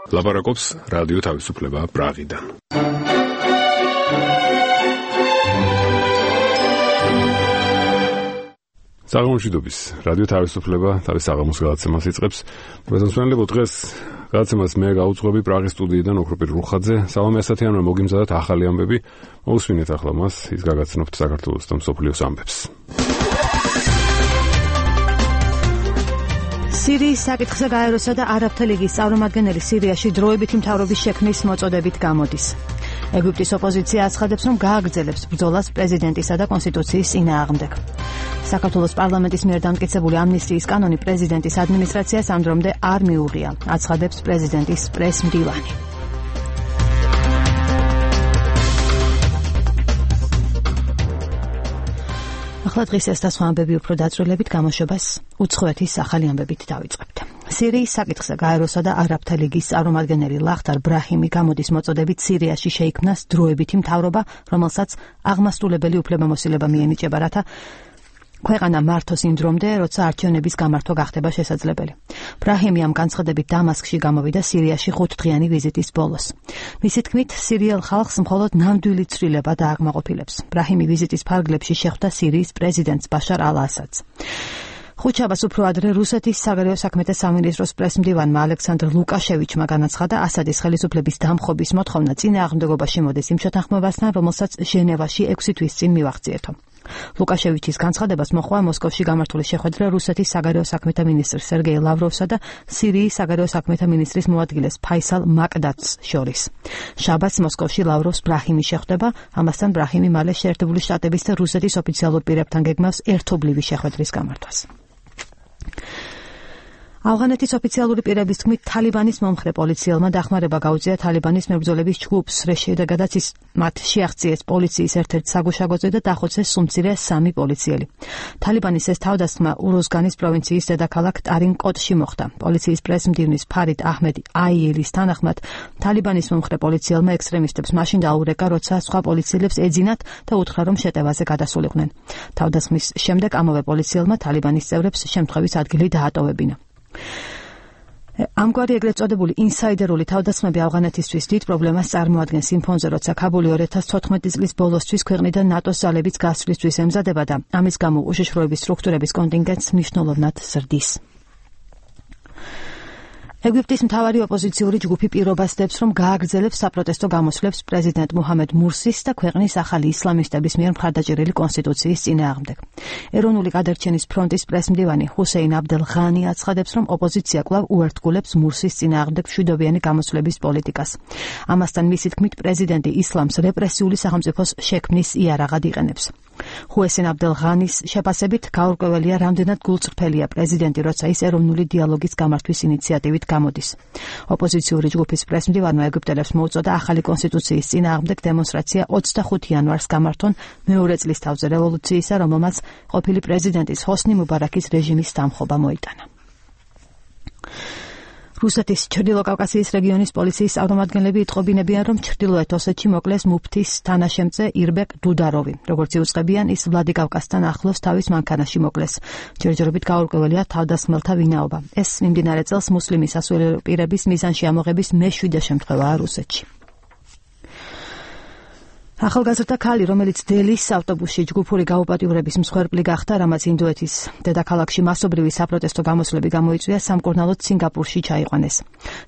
ლაპარაკობს რადიო თავისუფლება პრაღიდან. საღამოშიდობის რადიო თავისუფლება თავის საღამოს გადაცემას იწყებს. მოგესალმებით დღეს გადაცემას მე გაუძღვები პრაღის სტუდიიდან ოქროპირ რუხაძე. სალამი ასათიანო მოგიმზადოთ ახალი ამბები. მოусმინეთ ახლა მას, ის გაგაცნობთ საქართველოს და მსოფლიოს ამბებს. სირიის საკითხზე გაეროსა და არაბთა ლიგის წარმომადგენელი სირიაში დროებითი მთავრობის შექმნის მოწოდებით გამოდის. ეგვიპტის ოპოზიცია აცხადებს, რომ გააგრძელებს ბრძოლას პრეზიდენტისა და კონსტიტუციის წინააღმდეგ. საქართველოს პარლამენტის მიერ დამტკიცებული ამნისტიის კანონი პრეზიდენტის ადმინისტრაციას ამ დრომდე არ მიუღია, აცხადებს პრეზიდენტის პრესმდივანი. ახლა დღის ეს და სხვა ამბები უფრო დაწვრილებით გამოშვებას უცხოეთის ახალი ამბებით დავიწყებთ. სირიის საკითხზე გაეროსა და არაბთა ლიგის წარმომადგენელი ლახტარ ბრაჰიმი გამოდის მოწოდებით სირიაში შეიქმნას დროებითი მთავრობა, რომელსაც აღმასრულებელი უფლებამოსილება მიენიჭება, რათა ქვეყანა მართოს იმ დრომდე, როცა არჩევნების გამართვა გახდება შესაძლებელი. ბრაჰიმი ამ განცხადებით დამასკში გამოვიდა სირიაში 5 დღიანი ვიზიტის ბოლოს. მისი თქმით, სირიელ ხალხს მხოლოდ ნამდვილი ცვლილება დააკმაყოფილებს. ბრაჰიმი ვიზიტის ფარგლებში შეხვდა სირიის პრეზიდენტს ბაშარ ალ-ასადს. ხუთშაბათს უფრო ადრე რუსეთის საგარეო საქმეთა სამინისტროს პრესმდივანმა ალექსანდრ ლუკაშევიჩმა განაცხადა, ასადის ხელისუფლების დამხობის მოთხოვნა წინააღმდეგობაში მოდის იმ შეთანხმებასთან, რომელსაც ჟენევაში 6 თვის წინ მივახციეთო. ლუკაშევიჩის განცხადებას მოჰყვა მოსკოვში გამართული შეხვედრა რუსეთის საგარეო საქმეთა მინისტრ სერგეი ლავროვსა და სირიის საგარეო საქმეთა მინისტრის მოადგილეს ფაისალ მაკდადს შორის. შაბათს მოსკოვში ლავროვს ბრაჰიმი შეხვდება, ამასთან ბრაჰიმი მალე შეერთებული შტატების და რუსეთის ოფიციალურ პირებთან გეგმავს ერთობლივი შეხვედრის გამართვას. ავღანეთის ოფიციალური პირების თქმით, თალიბანის მომხრე პოლიციელმა დახმარება გაუწია თალიბანის მებრძოლების ჯგუფს, რის შედეგადაც მათ შეაღწიეს პოლიციის ერთ-ერთ საგუშაგოზე და დახოცეს სუმცირე 3 პოლიციელი. თალიბანის ეს თავდასხმა უროზგანის პროვინციის დედაქალაქ ტარინკოტში მოხდა. პოლიციის პრესმდივნის ფარიდ აჰმედი აიელის თანახმად, თალიბანის მომხრე პოლიციელმა ექსტრემისტებს მაშინ დაურეკა, როცა სხვა პოლიციელებს ეძინათ და უთხრა, რომ შეტევაზე გადასულიყვნენ. თავდასხმის შემდეგ ამავე პოლიციელმა თალიბანის წევრებს შემთხვევის ადგილი დაატოვებინა. ამგვარი ეგრეთ წოდებული ინსაიდერული თავდასხმები ავღანეთისთვის დიდ პრობლემას წარმოადგენს იმ ფონზე, როცა ქაბული 2014 წლის ბოლოსთვის ქვეყნიდან ნატოს ძალების გასვლისთვის ემზადება და ამის გამო უშიშროების სტრუქტურების კონტინგენტს მნიშვნელოვნად ზრდის. ეგვიპტის მთავარი ოპოზიციური ჯგუფი პირობას დებს, რომ გააგრძელებს საპროტესტო გამოსვლებს პრეზიდენტ მუჰამედ მურსის და ქვეყნის ახალი ისლამისტების მიერ მხარდაჭერილი კონსტიტუციის წინააღმდეგ. ეროვნული გადარჩენის ფრონტის პრესმდივანი ჰუსეინ აბდელ ღანი აცხადებს, რომ ოპოზიცია კვლავ უერთგულებს მურსის წინააღმდეგ მშვიდობიანი გამოსვლების პოლიტიკას. ამასთან მისი თქმით, პრეზიდენტი ისლამს რეპრესიული სახელმწიფოს შექმნის იარაღად იყენებს. ჰუსეინ აბდელ ღანის შეფასებით, გაურკვეველია, რამდენად გულწრფელია პრეზიდენტი, როცა ის ეროვნული დიალოგის გამართვის ინიციატივით გამოდის. ოპოზიციური ჯგუფის პრესმდივანმა ეგვიპტელებს მოუწოდა ახალი კონსტიტუციის წინააღმდეგ დემონსტრაცია 25 იანვარს გამართონ მეორე წლის თავზე რევოლუციისა, რომელმაც ყოფილი პრეზიდენტის ჰოსნი მუბარაკის რეჟიმის დამხობა მოიტანა. რუსეთის ჩრდილოკავკასიის რეგიონის პოლიციის წარმომადგენლები იტყობინებიან, რომ ჩრდილოეთ ოსეთში მოკლეს მუფთის თანაშემწე ირბეკ დუდაროვი. როგორც იუწყებიან, ის ვლადიკავკაზთან ახლოს თავის მანქანაში მოკლეს. ჯერჯერობით გაურკვეველია თავდასხმელთა ვინაობა. ეს მიმდინარე წელს მუსლიმი სასულიერო პირების მიზანში ამოღების მე-7 შემთხვევაა რუსეთში. ახალგაზრდა ქალი, რომელიც დელის ავტობუსში ჯგუფური გაუპატიურების მსხვერპლი გახდა, რამაც ინდოეთის დედაქალაქში მასობრივი საპროტესტო გამოსვლები გამოიწვია, სამკურნალოდ სინგაპურში ჩაიყვანეს.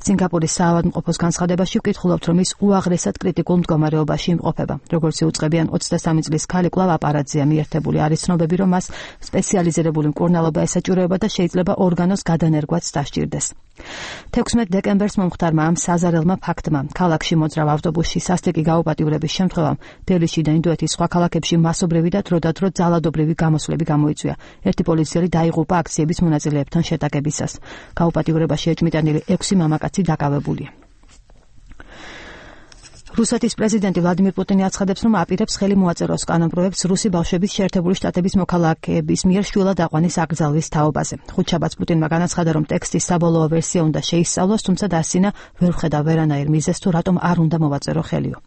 სინგაპურის საავადმყოფოს განცხადებაში ვკითხულობთ, რომ ის უაღრესად კრიტიკულ მდგომარეობაში იმყოფება. როგორც იუწყებიან, 23 წლის ქალი კვლავ აპარატზეა მიერთებული. არის ცნობები, რომ მას სპეციალიზირებული მკურნალობა ესაჭიროება და შეიძლება ორგანოს გადანერგვაც დასჭირდეს. 16 დეკემბერს მომხდარმა ამ საზარელმა ფაქტმა ქალაქში მოძრავ ავტობუსში სასტიკი გაუპატიურების შემთხვევამ დელიში და ინდოეთის სხვა ქალაქებში მასობრივი და დროდადრო ძალადობრივი გამოსვლები გამოიწვია. ერთი პოლიციელი დაიღუპა აქციების მონაწილეებთან შეტაკებისას. გაუპატიურებაში ეჭმიტანილი 6 მამაკაცი დაკავებულია. რუსეთის პრეზიდენტი ვლადიმირ პუტინი აცხადებს, რომ აპირებს ხელი მოაწეროს კანონპროექტს რუსი ბავშვების შეერთებული შტატების მოქალაქეების მიერ შვილად აყვანის აკრძალვის თაობაზე. ხუთშაბათს პუტინმა განაცხადა, რომ ტექსტის საბოლოო ვერსია უნდა შეისწავლოს, თუმცა დასცინა ვერ ხედა ვერანაირ მიზეზს თუ რატომ არ უნდა მოვაწერო ხელიო.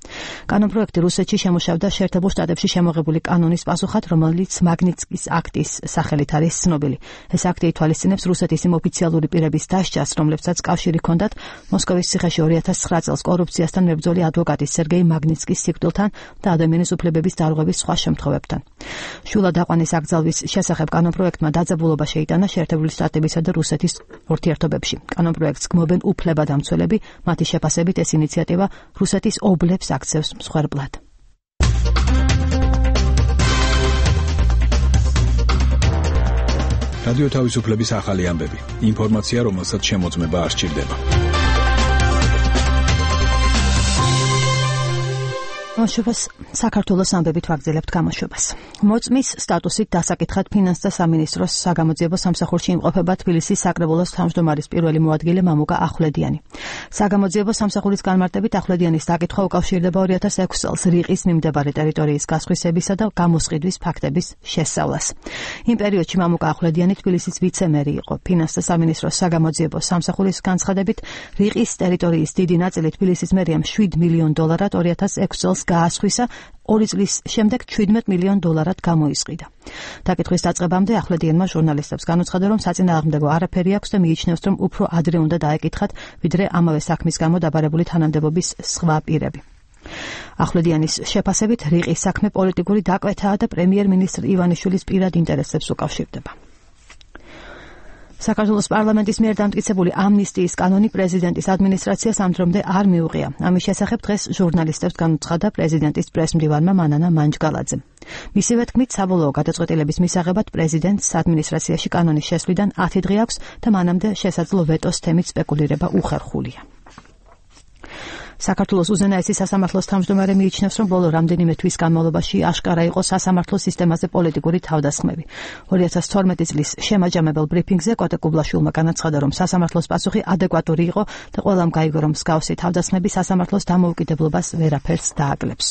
კანონპროექტი რუსეთში შემუშავდა შეერთებულ შტატებში შემოღებული კანონის პასუხად, რომელიც მაგნიტსკის აქტის სახელით არის ცნობილი. ეს აქტი ითვალისწინებს რუსეთის იმ ოფიციალური პირების დასჯას, რომლებსაც კავშირი ჰქონდათ მოსკოვის ციხეში 2009 წელს კორუფციასთან მებრძოლი ადვოკატის სერგეი მაგნიტსკის სიკვდილთან და ადამიანის უფლებების დარღვევის სხვა შემთხვევებთან. შვილად აყვანის აკრძალვის შესახებ კანონპროექტმა დაძაბულობა შეიტანა შეერთებული შტატებისა და რუსეთის ურთიერთობებში. კანონპროექტს გმობენ უფლებადამცველები, მათი შეფასებით ეს ინიციატივა რუსეთის ობლებს აქცევს მსხვერპლად. რადიო თავისუფლების ახალი ამბები. ინფორმაცია, რომელსაც შემოწმება არ სჭირდება. გამოშვებას საქართველოს ამბებით ვაგრძელებთ გამოშვებას. მოწმის სტატუსით დასაკითხად ფინანსთა სამინისტროს საგამოძიებო სამსახურში იმყოფება თბილისის საკრებულოს თავმჯდომარის პირველი მოადგილე მამუკა ახვლედიანი. საგამოძიებო სამსახურის განმარტებით ახვლედიანის დაკითხვა უკავშირდება 2006 წელს რიყის მიმდებარე ტერიტორიის გასხვისებისა და გამოსყიდვის ფაქტების შესწავლას. იმ პერიოდში მამუკა ახვლედიანი თბილისის ვიცე-მერი იყო. ფინანსთა სამინისტროს საგამოძიებო სამსახურის განცხადებით რიყის ტერიტორიის დიდი ნაწილი თბილისის მერიამ $7 მილიონ 2006 წელს გაასხვისა, 2 წლის შემდეგ $17 მილიონ გამოისყიდა. დაკითხვის დაწყებამდე ახვლედიანმა ჟურნალისტებს განუცხადა, რომ საწინააღმდეგო არაფერი აქვს და მიიჩნევს, რომ უფრო ადრე უნდა დაეკითხათ, ვიდრე ამავე საქმის გამო დაბარებული თანამდებობის სხვა პირები. ახვლედიანის შეფასებით რიყის საქმე პოლიტიკური დაკვეთაა და პრემიერ-მინისტრ ივანიშვილის პირად ინტერესებს უკავშირდება. საქართველოს პარლამენტის მიერ დამტკიცებული ამნისტიის კანონი პრეზიდენტის ადმინისტრაციას ამ დრომდე არ მიუღია. ამის შესახებ დღეს ჟურნალისტებს განუცხადა პრეზიდენტის პრესმდივანმა მანანა მანჯგალაძემ. მისივე თქმით, საბოლოო გადაწყვეტილების მისაღებად პრეზიდენტს ადმინისტრაციაში კანონის შესვლიდან 10 დღე აქვს და მანამდე შესაძლო ვეტოს თემით სპეკულირება უხერხულია. საქართველოს უზენაესი სასამართლოს თავმჯდომარე მიიჩნევს, რომ ბოლო რამდენიმე თვის განმავლობაში აშკარა იყო სასამართლო სისტემაზე პოლიტიკური თავდასხმები. 2012 წლის შემაჯამებელ ბრიფინგზე კოტე კუბლაშვილმა განაცხადა, რომ სასამართლოს პასუხი ადეკვატური იყო და ყველამ გაიგო, რომ მსგავსი თავდასხმები სასამართლოს დამოუკიდებლობას ვერაფერს დააკლებს.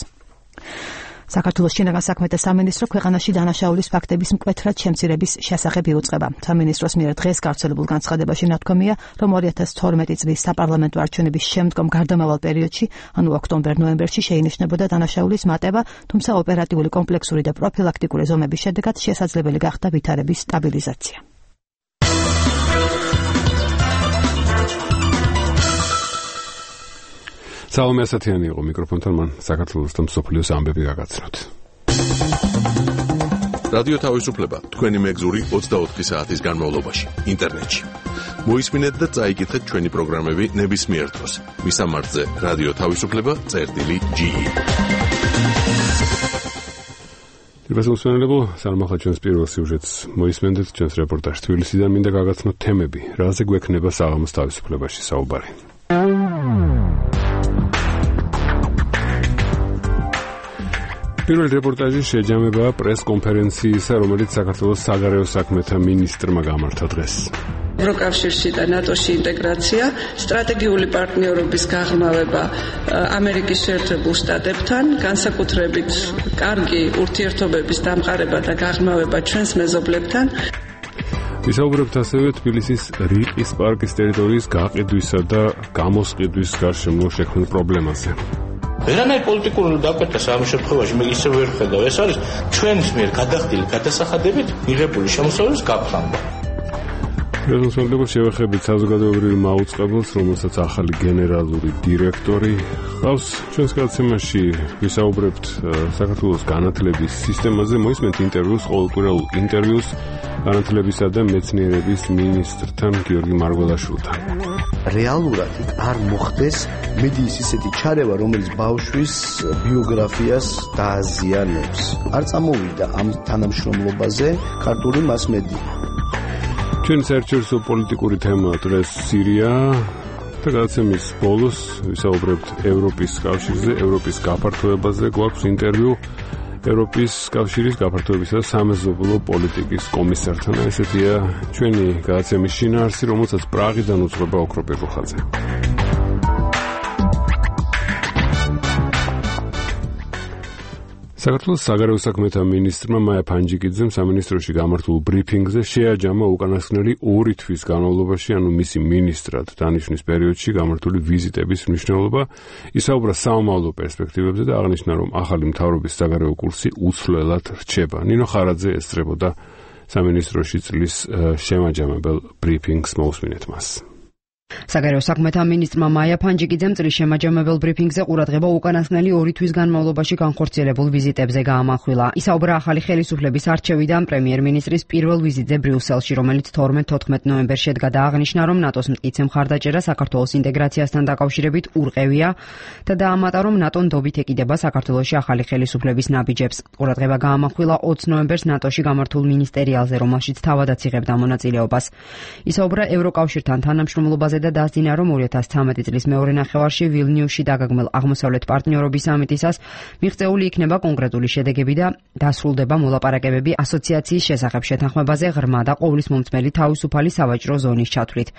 საქართველოს შინაგან საქმეთა სამინისტრო ქვეყანაში დანაშაულის ფაქტების მკვეთრად შემცირების შესახებ იუწყება. სამინისტროს მიერ დღეს გავრცელებულ განცხადებაში ნათქვამია, რომ 2012 წლის საპარლამენტო არჩევნების შემდგომ გარდამავალ პერიოდში, ანუ ოქტომბერ-ნოემბერში შეინიშნებოდა დანაშაულის მატება, თუმცა ოპერატიული კომპლექსური და პროფილაქტიკური ზომების შედეგად შესაძლებელი გახდა ვითარების სტაბილიზაცია. სალომე ასათიანი იყო მიკროფონთან, მან საქართველოს და მსოფლიოს ამბები გაგაცნოთ. რადიო თავისუფლება თქვენი მეგზური 24 საათის განმავლობაში ინტერნეტში. მოისმინეთ და წაიკითხეთ ჩვენი პროგრამები ნებისმიერ დროს. მისამართზე რადიო თავისუფლება.ge. დიახ, სანამ ჩვენს პირველ სიუჟეტს მოისმენთ ჩვენს რეპორტაჟს თბილისიდან, მინდა გაგაცნოთ თემები, რაზე გვექნება საღამოს თავისუფლებაში საუბარი. პირველი რეპორტაჟი შეჯამება პრეს-კონფერენციისა, რომელიც საქართველოს საგარეო საქმეთა მინისტრმა გამართა დღეს. ევროკავშირში და ნატოში ინტეგრაცია, სტრატეგიული პარტნიორობის გაღრმავება ამერიკის შეერთებულ შტატებთან, განსაკუთრებით კარგი ურთიერთობების დამყარება და გაღრმავება ჩვენს მეზობლებთან. ვისაუბრებთ ასევე თბილისის რიყის პარკის ტერიტორიის გაყიდვისა და გამოსყიდვის გარშემო შექმნილ პრობლემაზე. ვერანაირ პოლიტიკურ დაკვეთას ამ შემთხვევაში მე ისე ვერ ხედავ. ეს არის ჩვენს მიერ გადახდილი გადასახადებით მიღებული შემოსავლის გაფრანგვა. რეზოლუციები შევეხებით საზოგადოებრივ მაუწყებელს, რომელსაც ახალი გენერალური დირექტორი ჰყავს. ჩვენს გადაცემაში ვისაუბრებთ საქართველოს განათლების სისტემაზე, მოისმენთ ინტერვიუს, ყოველკვირეულ ინტერვიუს განათლებისა და მეცნიერების მინისტრთან გიორგი მარგველაშვილთან. რეალურად არ მოხდეს მედიის ისეთი ჩარევა, რომელიც ბავშვის ბიოგრაფიას დააზიანებს. არ წამოვიდა ამ თანამშრომლობაზე ქართული მასმედია. ჩვენი საერთაშორისო პოლიტიკური თემა დღეს სირია და გადაცემის ბოლოს ვისაუბრებთ ევროპის კავშირზე, ევროპის გაფართოებაზე. გვაქვს ინტერვიუ ევროპის კავშირის გაფართოებისა და სამეზობლო პოლიტიკის კომისართან. ესეთია ჩვენი გადაცემის შინაარსი, რომელსაც პრაღიდან უძღვება ოქროპირ რუხაძე. საქართველოს საგარეო საქმეთა მინისტრმა მაია ფანჯიკიძემ სამინისტროში გამართულ ბრიფინგზე შეაჯამა უკანასკნელი 2 თვის განმავლობაში, ანუ მისი მინისტრად დანიშვნის პერიოდში გამართული ვიზიტების მნიშვნელობა, ისაუბრა სამომავლო პერსპექტივებზე და აღნიშნა, რომ ახალი მთავრობის საგარეო კურსი უცვლელად რჩება. ნინო ხარაძე ესწრებოდა სამინისტროში წლის შემაჯამებელ ბრიფინგს, მოусმინეთ მას. საგარეო საქმეთა მინისტრმა მაია ფანჯიკიძემ წლის შემაჯამებელ ბრიფინგზე ყურადღება უკანასკნელი 2 თვის განმავლობაში განხორციელებულ ვიზიტებზე გაამახვილა. ისაუბრა ახალი ხელისუფლების არჩევიდან პრემიერ-მინისტრის პირველ ვიზიტზე ბრიუსელში, რომელიც 12-14 ნოემბერში შედგა და აღნიშნა, რომ ნატოს მტკიცე მხარდაჭერა საქართველოს ინტეგრაციასთან დაკავშირებით ურყევია და დაამატა, რომ ნატო ნდობით ეკიდება საქართველოში ახალი ხელისუფლების ნაბიჯებს. ყურადღება გაამახვილა 20 ნოემბერს ნატოში გამართულ მინისტერიალზე, რომელშიც თავადაც იღებდა მონაწილეობას. ისაუბრა ევროკავშირთან თანამშრომლობაზე და დასძინა, რომ 2013 წლის მეორე ნახევარში ვილნიუსში დაგაგმელ აღმოსავლეთ პარტნიორობის სამიტისას მიღწეული იქნება კონკრეტული შედეგები და დასრულდება მოლაპარაკებები ასოციაციის შესახებ შეთანხმებაზე ღრმა და ყოვლის მომწმელი თავისუფალი სავაჭრო ზონის ჩათვლით.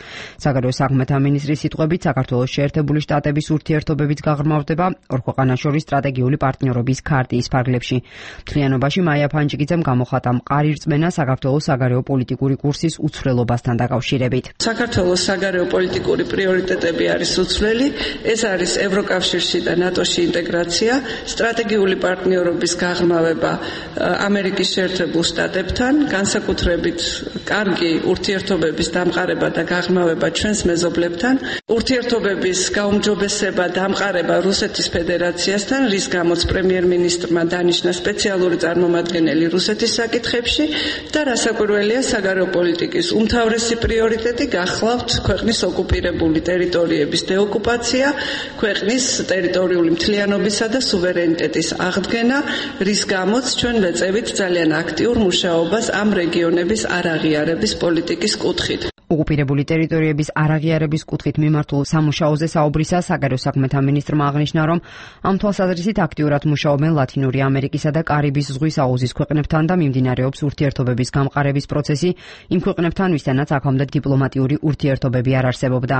საგარეო საქმეთა მინისტრის სიტყვებით, საქართველოს შეერთებული შტატების ურთიერთობებიც გაღრმავდება ორ ქვეყანას შორის სტრატეგიული პარტნიორობის ქარტიის ფარგლებში. მთლიანობაში მაია ფანჯიკიძემ გამოხატა მყარი რწმენა საქართველოს საგარეო პოლიტიკური კურსის უცვლელობასთან დაკავშირებით. საქართველოს საგარეო პოლიტიკური პრიორიტეტები არის უცვლელი, ეს არის ევროკავშირში და ნატოში ინტეგრაცია, სტრატეგიული პარტნიორობის გაღრმავება ამერიკის შეერთებულ შტატებთან, განსაკუთრებით კარგი ურთიერთობების დამყარება და გაღრმავება ჩვენს მეზობლებთან, ურთიერთობების გაუმჯობესება დამყარება რუსეთის ფედერაციასთან, რის გამოც პრემიერ-მინისტრმა დანიშნა სპეციალური წარმომადგენელი რუსეთის საკითხებში და რასაკვირველია, საგარეო პოლიტიკის უმთავრესი პრიორიტეტი გახლავთ ქვეყნის ოკუპირებული ტერიტორიების დეოკუპაცია, ქვეყნის ტერიტორიული მთლიანობისა და სუვერენიტეტის აღდგენა, რის გამოც ჩვენ ვეწევით ძალიან აქტიურ მუშაობას ამ რეგიონების არაღიარების პოლიტიკის კუთხით. ოკუპირებული ტერიტორიების არაღიარების კუთხით მიმართულ სამუშაოზე საუბრისას საგარეო საქმეთა მინისტრმა აღნიშნა, რომ ამ თვალსაზრისით აქტიურად მუშაობენ ლათინური ამერიკისა და კარიბის ზღვის აუზის ქვეყნებთან და მიმდინარეობს ურთიერთობების გამყარების პროცესი იმ ქვეყნებთან, ვისთანაც აქამდე დიპლომატიური ურთიერთობები არ არსებობდა.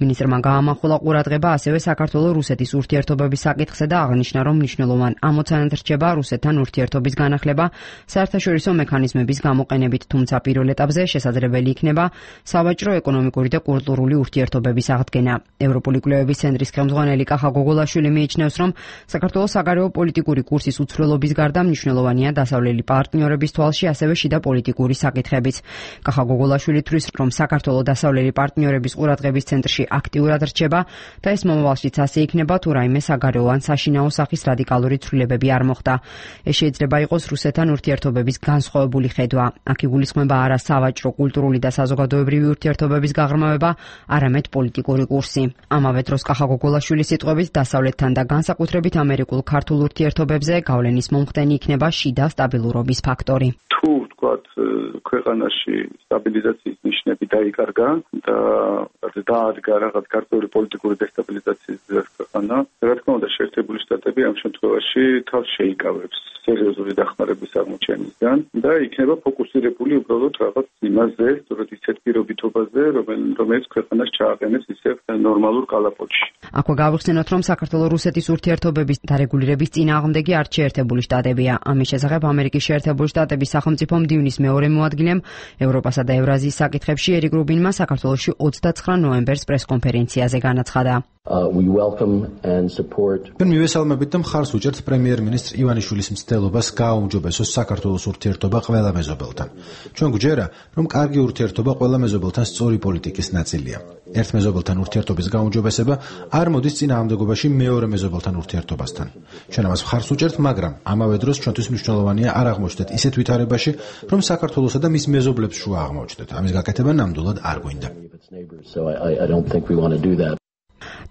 მინისტრმა გაამახვილა ყურადღება ასევე საქართველო-რუსეთის ურთიერთობების საკითხზე და აღნიშნა, რომ მნიშვნელოვან ამოცანად რჩება რუსეთთან ურთიერთობის განახლება საერთაშორისო მექანიზმების გამოყენებით, თუმცა პირველ ეტაპზე შესაძლებელი იქნება სავაჭრო, ეკონომიკური და კულტურული ურთიერთობების აღდგენა. ევროპული კვლევების ცენტრის ხელმძღვანელი კახა გოგოლაშვილი მიიჩნევს, რომ საქართველოს საგარეო პოლიტიკური კურსის უცვლელობის გარდა მნიშვნელოვანია დასავლელი პარტნიორების თვალში ასევე შიდა პოლიტიკური საკითხებიც. კახა გოგოლაშვილი თვლის, რომ საქართველოს დასავლელი პარტნიორების ყურადღების ცენტრში აქტიურად რჩება და ეს მომავალშიც ასე იქნება, თუ რაიმე საგარეო ან საშინაო სახის რადიკალური ცვლილებები არ მოხდა. ეს შეიძლება იყოს რუსეთთან ურთიერთობების განსხვავებული ხედვა. აქ იგულისხმება არა სავაჭრო, კულტურული და საზოგადოებრივი ურთიერთობების გაღრმავება, არამედ პოლიტიკური კურსი. ამავე დროს კახა გოგოლაშვილის სიტყვებით, დასავლეთთან და განსაკუთრებით ამერიკულ ქართულ ურთიერთობებზე გავლენის მომხდენი იქნება შიდა სტაბილურობის ფაქტორი. თუ ვთქვათ, ქვეყანაში სტაბილიზაციის ნიშნები დაიკარგა და დაადგა რაღაც გარკვეული პოლიტიკური დესტაბილიზაციის ქვეყანა, რა თქმა უნდა, შეერთებული შტატები ამ შემთხვევაში თავს შეიკავებს სერიოზული დახმარების აღმოჩენისგან და იქნება ფოკუსირებული უბრალოდ რაღაც იმაზე, სწორედ ისეთ პირობითობაზე, რომელიც ქვეყანას ჩააყენებს ისევ ნორმალურ კალაპოტში. აქვე გავიხსენოთ, რომ საქართველო-რუსეთის ურთიერთობების დარეგულირების წინააღმდეგი არ შეერთებული შტატებია. ამის შესახებ ამერიკის შეერთებული შტატების სახელმწიფო მდივნის მეორე მოადგილემ ევროპასა და ევრაზიის საკითხებში ერიკ რუბინმა საქართველოში 29 ნოემბერს პრესკონფერენციაზე განაცხადა. ჩვენ მივესალმებით და მხარს უჭერთ პრემიერ-მინისტრ ივანიშვილის მცდელობას გააუმჯობესოს საქართველოს ურთიერთობა ყველა მეზობელთან. ჩვენ გვჯერა, რომ კარგი ურთიერთობა ყველა მეზობელთან სწორი პოლიტიკის ნაწილია. ერთ მეზობელთან ურთიერთობის გაუმჯობესება არ მოდის წინააღმდეგობაში მეორე მეზობელთან ურთიერთობასთან. ჩვენ ამას მხარს უჭერთ, მაგრამ ამავე დროს ჩვენთვის მნიშვნელოვანია არ აღმოჩნდეთ ისეთ ვითარებაში, რომ საქართველოსა და მის მეზობლებს შუა აღმოჩნდეთ. ამის გაკეთება ნამდვილად არ გვინდა.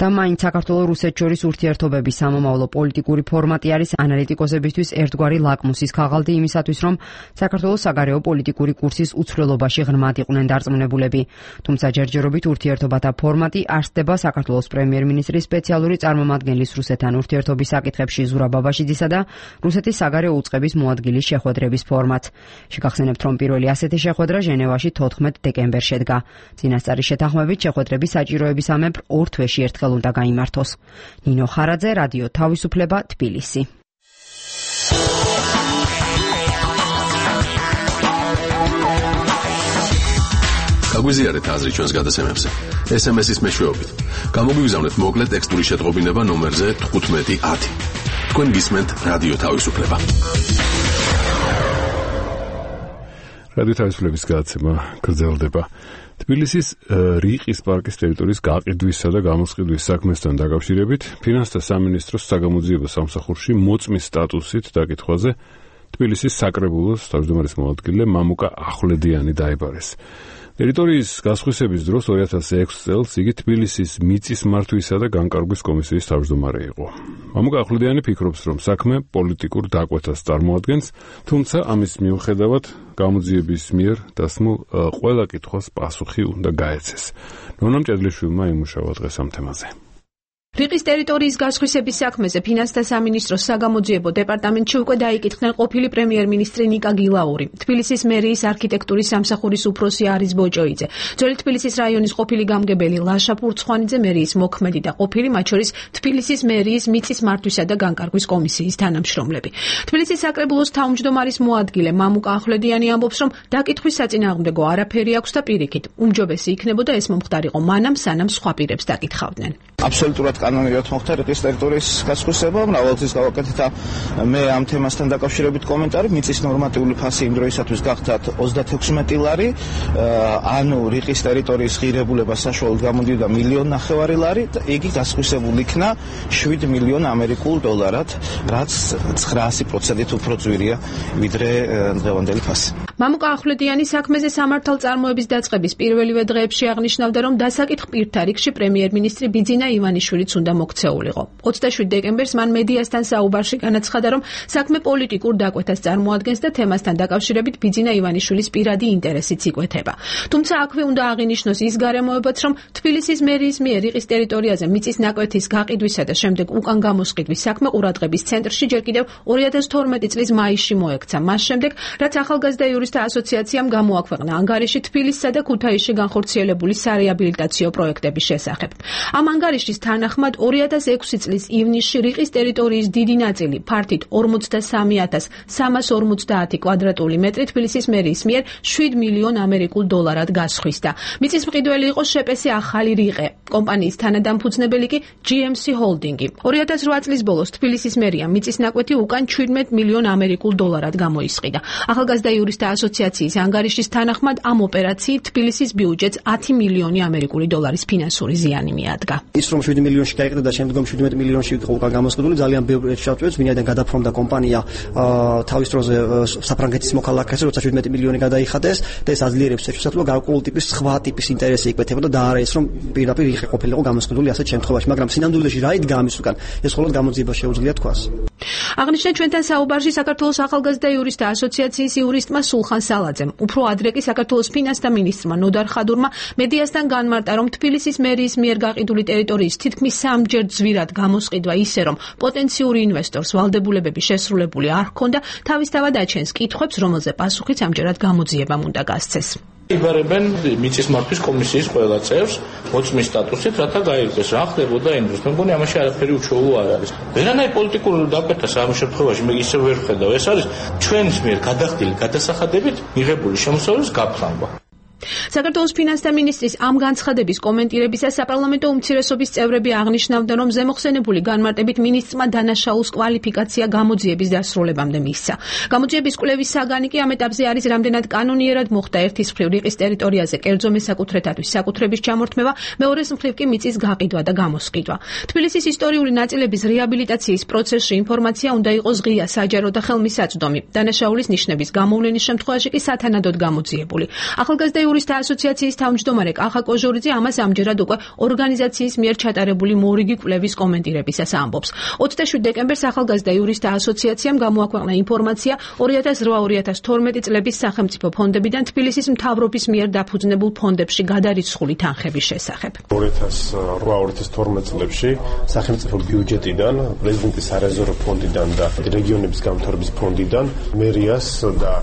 და მაინც საქართველო-რუსეთ შორის ურთიერთობების სამომავლო პოლიტიკური ფორმატი არის ანალიტიკოსებისთვის ერთგვარი ლაკმუსის ქაღალდი იმისათვის, რომ საქართველოს საგარეო პოლიტიკური კურსის უცვლელობაში ღრმად იყვნენ დარწმუნებულები. თუმცა ჯერჯერობით ურთიერთობათა ფორმატი არსდება საქართველოს პრემიერ-მინისტრის სპეციალური წარმომადგენლის რუსეთთან ურთიერთობის საკითხებში ზურაბ ბაბაშიძისა და რუსეთის საგარეო უწყების მოადგილის შეხვედრების ფორმატს. შეგახსენებთ, რომ პირველი ასეთი შეხვედრა ჟენევაში 14 დეკემბერს შედგა. წინასწარი შეთანხმებით შეხვედრების საჭიროებისამებრ ორ თვეში ერთხელ უნდა გაიმართოს. ნინო ხარაძე, რადიო თავისუფლება, თბილისი. გაგვიზიარეთ აზრი ჩვენს გადაცემებზე. SMS-ის მეშვეობით. გამოგვიგზავნეთ მოკლე ტექსტური შეტყობინება ნომერზე 1510. თქვენ გისმენთ რადიო თავისუფლება. რადიო თავისუფლების გადაცემა გრძელდება. თბილისის რიყის პარკის ტერიტორიის გაყიდვისა და გამოსყიდვის საქმესთან დაკავშირებით ფინანსთა სამინისტროს საგამოძიებო სამსახურში მოწმის სტატუსით დაკითხვაზე თბილისის საკრებულოს თავმჯდომარის მოადგილე მამუკა ახვლედიანი დაიბარეს. ტერიტორიის გასხვისების დროს 2006 წელს იგი თბილისის მიწის მართვისა და განკარგვის კომისიის თავმჯდომარე იყო. მამუკა ახვლედიანი ფიქრობს, რომ საქმე პოლიტიკურ დაკვეთას წარმოადგენს, თუმცა ამის მიუხედავად გამოძიების მიერ დასმულ ყველა კითხვას პასუხი უნდა გაეცეს. ნონა მჭედლიშვილმა იმუშავა დღეს ამ თემაზე. რიყის ტერიტორიის გასხვისების საქმეზე ფინანსთა სამინისტროს საგამოძიებო დეპარტამენტში უკვე დაიკითხნენ ყოფილი პრემიერ-მინისტრი ნიკა გილაური, თბილისის მერიის არქიტექტურის სამსახურის უფროსი არის ბოჭოიძე, ძველი თბილისის რაიონის ყოფილი გამგებელი ლაშა ფურცხვანიძე, მერიის მოქმედი და ყოფილი, მათ შორის თბილისის მერიის მიწის მართვისა და განკარგვის კომისიის თანამშრომლები. თბილისის საკრებულოს თავმჯდომარის მოადგილე მამუკა ახვლედიანი ამბობს, რომ დაკითხვის საწინააღმდეგო არაფერი აქვს და პირიქით, უმჯობესი იქნებოდა ეს მომხდარიყო მანამ, სანამ სხვა პირებს დაკითხავდნენ. აბსოლუტურად კანონიურად მოხდა რიყის ტერიტორიის გასხვისება, მრავალთვის გავაკეთეთ მე ამ თემასთან დაკავშირებით კომენტარი, მიწის ნორმატიული ფასი იმ დროისათვის გახდათ 36 ლარი, ანუ რიყის ტერიტორიის ღირებულება საშუალოდ გამოდიოდა 1.5 მილიონი ლარი და იგი გასხვისებული იქნა 7 მილიონ ამერიკულ დოლარად, რაც 900%-ით უფრო ძვირია ვიდრე დღევანდელი ფასი. მამუკა ახვლედიანი საქმეზე სამართალწარმოების დაწყების პირველივე დღეებში აღნიშნავდა, რომ დასაკითხ პირთა რიგში პრემიერ-მინისტრი ბიძინა ივანიშვილიც უნდა მოქცეულიყო. 27 დეკემბერს მან მედიასთან საუბარში განაცხადა, რომ საქმე პოლიტიკურ დაკვეთას წარმოადგენს და თემასთან დაკავშირებით ბიძინა ივანიშვილის პირადი ინტერესიც იკვეთება. თუმცა აქვე უნდა აღინიშნოს ის გარემოებაც, რომ თბილისის მერიის მიერ რიყის ტერიტორიაზე მიწის ნაკვეთის გაყიდვისა და შემდეგ უკან გამოსყიდვის საქმე ყურადღების ცენტრში ჯერ კიდევ 2012 წლის მაისში მოექცა. მას შემდეგ, რაც ახალგაზრდა იურისტთა ასოციაციამ გამოაქვეყნა ანგარიში თბილისსა და ქუთაისში განხორციელებული სარეაბილიტაციო პროექტების შესახებ. ამ ანგარიშის თანახმად 2006 წლის ივნისში რიყის ტერიტორიის დიდი ნაწილი ფართით 43,350 კვადრატული მეტრი თბილისის მერიის მიერ 7 მილიონ ამერიკულ დოლარად გასხვისდა. მიწის მყიდველი იყო შეპესი ახალი რიყე. კომპანიის თანადამფუძნებელი კი GMC ჰოლდინგი. 2008 წლის ბოლოს თბილისის მერიამ მიწის ნაკვეთი უკან 17 მილიონ ამერიკულ დოლარად გამოისყიდა. ახალგაზრდა იურისტთა ასოციაციის ანგარიშის თანახმად ამ ოპერაციით თბილისის ბიუჯეტს 10 მილიონი ამერიკული დოლარის ფინანსური ზიანი მიადგა. ის რომ 7 მილიონში გაიყიდა და შემდგომ 17 მილიონში იყო უკან გამოსყიდული, ძალიან ბევრი შეავწევს, ვინაიდან გადაფრონდა კომპანია თავის დროზე საფრანგეთის მოქალაქეზე, როცა 17 მილიონი გადაიხადეს და ეს აძლიერებს შეშუცად, რომ გარკვეული ტიპის სხვა ტიპის ინტერესი იკვეთებოდა და არა ეს რომ პირდაპირ ყოფილიყო გამოსყიდული ასეთ შემთხვევაში, მაგრამ სინამდვილეში რა იდგა ამის უკან, ეს მხოლოდ გამოძიება შეუძლია თქვას. აღნიშნა ჩვენთან საუბარში საქართველოს ახალგაზრდა იურისტთა ასოციაციის იურისტმა სულხან სალაძემ. უფრო ადრე კი საქართველოს ფინანსთა მინისტრმა ნოდარ ხადურმა მედიასთან განმარტა, რომ თბილისის მერიის მიერ გაყიდული ტერიტორიის თითქმის 3-ჯერ ძვირად გამოსყიდვა ისე, რომ პოტენციური ინვესტორს ვალდებულებები შესრულებული არ ჰქონდა, თავისთავად აჩენს კითხვებს, რომელზე პასუხიც ამჯერად გამოძიებამ უნდა გასცეს. იბარებენ მიწის მართვის კომისიის ყველა წევრს მოწმის სტატუსით, რათა გაიგოს რა ხდებოდა ინდუსტრიაში. მე მგონი ამაში არაფერი უჩვეულო არ არის. ვერანაირ პოლიტიკურ დაკვეთას ამ შემთხვევაში მე ისე ვერ ხედავ. ეს არის ჩვენის მიერ გადახდილი გადასახადებით მიღებული შემოსავლის გაფრანგვა. საქართველოს ფინანსთა მინისტრის ამ განცხადების კომენტირებისას საპარლამენტო უმცირესობის წევრები აღნიშნავდნენ, რომ ზემოხსენებული განმარტებით მინისტრმა დანაშაულის კვალიფიკაცია გამოძიების დასრულებამდე მისცა. გამოძიების კვლევის საგანი კი ამ ეტაპზე არის რამდენად კანონიერად მოხდა ერთის მხრივ რიყის ტერიტორიაზე კერძო მესაკუთრეთათვის საკუთრების ჩამორთმევა, მეორეს მხრივ კი მიწის გაყიდვა და გამოსყიდვა. თბილისის ისტორიული ნაწილების რეაბილიტაციის პროცესში ინფორმაცია უნდა იყოს ღია, საჯარო და ხელმისაწვდომი. დანაშაულის ნიშნების გამოვლენის შემთხვევაში კი სათანადოდ გამოძიებული. ახალგაზრდა იურისტთა ასოციაციის თავმჯდომარე კახა კოჟორიძე ამას ამჯერად უკვე ორგანიზაციის მიერ ჩატარებული მორიგი კვლევის კომენტირებისას ამბობს. 27 დეკემბერს ახალგაზრდა იურისტთა ასოციაციამ გამოაქვეყნა ინფორმაცია 2008-2012 წლების სახელმწიფო ფონდებიდან თბილისის მთავრობის მიერ დაფუძნებულ ფონდებში გადარიცხული თანხების შესახებ. 2008-2012 წლებში სახელმწიფო ბიუჯეტიდან, პრეზიდენტის სარეზერვო ფონდიდან და რეგიონების გამთავრების ფონდიდან მერიას და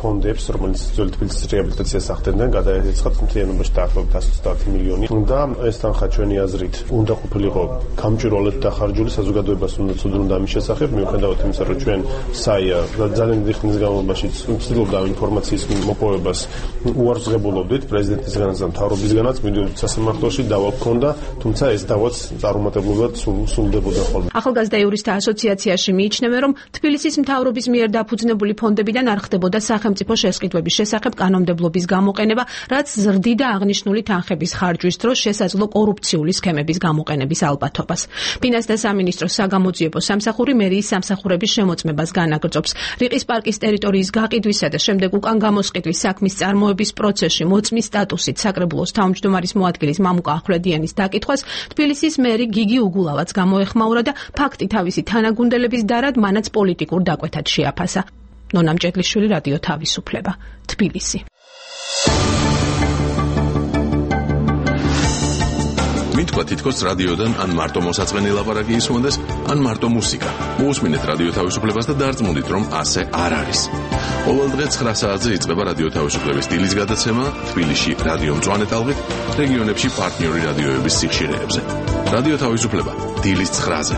ფონდებს, რომელიც ძველი თბილისის რეაბილიტაციას ახდენდნენ, გადაეცხათ მთლიანობაში დაახლოებით 130 მილიონი. და ეს თანხა ჩვენი აზრით უნდა ყოფილიყო გამჭვირვალედ დახარჯული, საზოგადოებას უნდა ცოდნოდა ამის შესახებ, მიუხედავად იმისა, რომ ჩვენ საია ძალიან დიდი ხნის განმავლობაში ვცდილობდა ინფორმაციის მოპოვებას უარსღებულობდით პრეზიდენტისგანაც და მთავრობისგანაც, მიდიოდით სასამართლოში, დავა გქონდა, თუმცა ეს დავაც წარუმატებლად სრულდებოდა ხოლმე. ახალგაზრდა იურისტთა ასოციაციაში მიიჩნევენ, რომ თბილისის მთავრობის მიერ დაფუძნებული ფონდებიდან არ ხდებოდა სახელმწიფო შესყიდვების შესახებ კანონმდებლობის გამოყენება, რაც ზრდიდა აღნიშნული თანხების ხარჯვის დროს შესაძლო კორუფციული სქემების გამოყენების ალბათობას. ფინანსთა სამინისტროს საგამოძიებო სამსახური მერიის სამსახურების შემოწმებას განაგრძობს. რიყის პარკის ტერიტორიის გაყიდვისა და შემდეგ უკან გამოსყიდვის საქმის წარმოების პროცესში მოწმის სტატუსით საკრებულოს თავმჯდომარის მოადგილის მამუკა ახვლედიანის დაკითხვას თბილისის მერი გიგი უგულავაც გამოეხმაურა და ფაქტი თავისი თანაგუნდელების დარად მანაც პოლიტიკურ დაკვეთად შეაფასა. ნონა მჭედლიშვილი, რადიო თავისუფლება, თბილისი. მითქვა თითქოს რადიოდან ან მარტო მოსაწყენი ლაპარაკი ისმოდეს, ან მარტო მუსიკა. მოусმინეთ რადიო თავისუფლებას და დარწმუნდით, რომ ასე არ არის. ყოველდღე 9 საათზე იწყება რადიო თავისუფლების დილის გადაცემა თბილისში რადიო მწვანე ტალღით, რეგიონებში პარტნიორი რადიოების სიხშირეებზე. რადიო თავისუფლება დილის 9-ზე.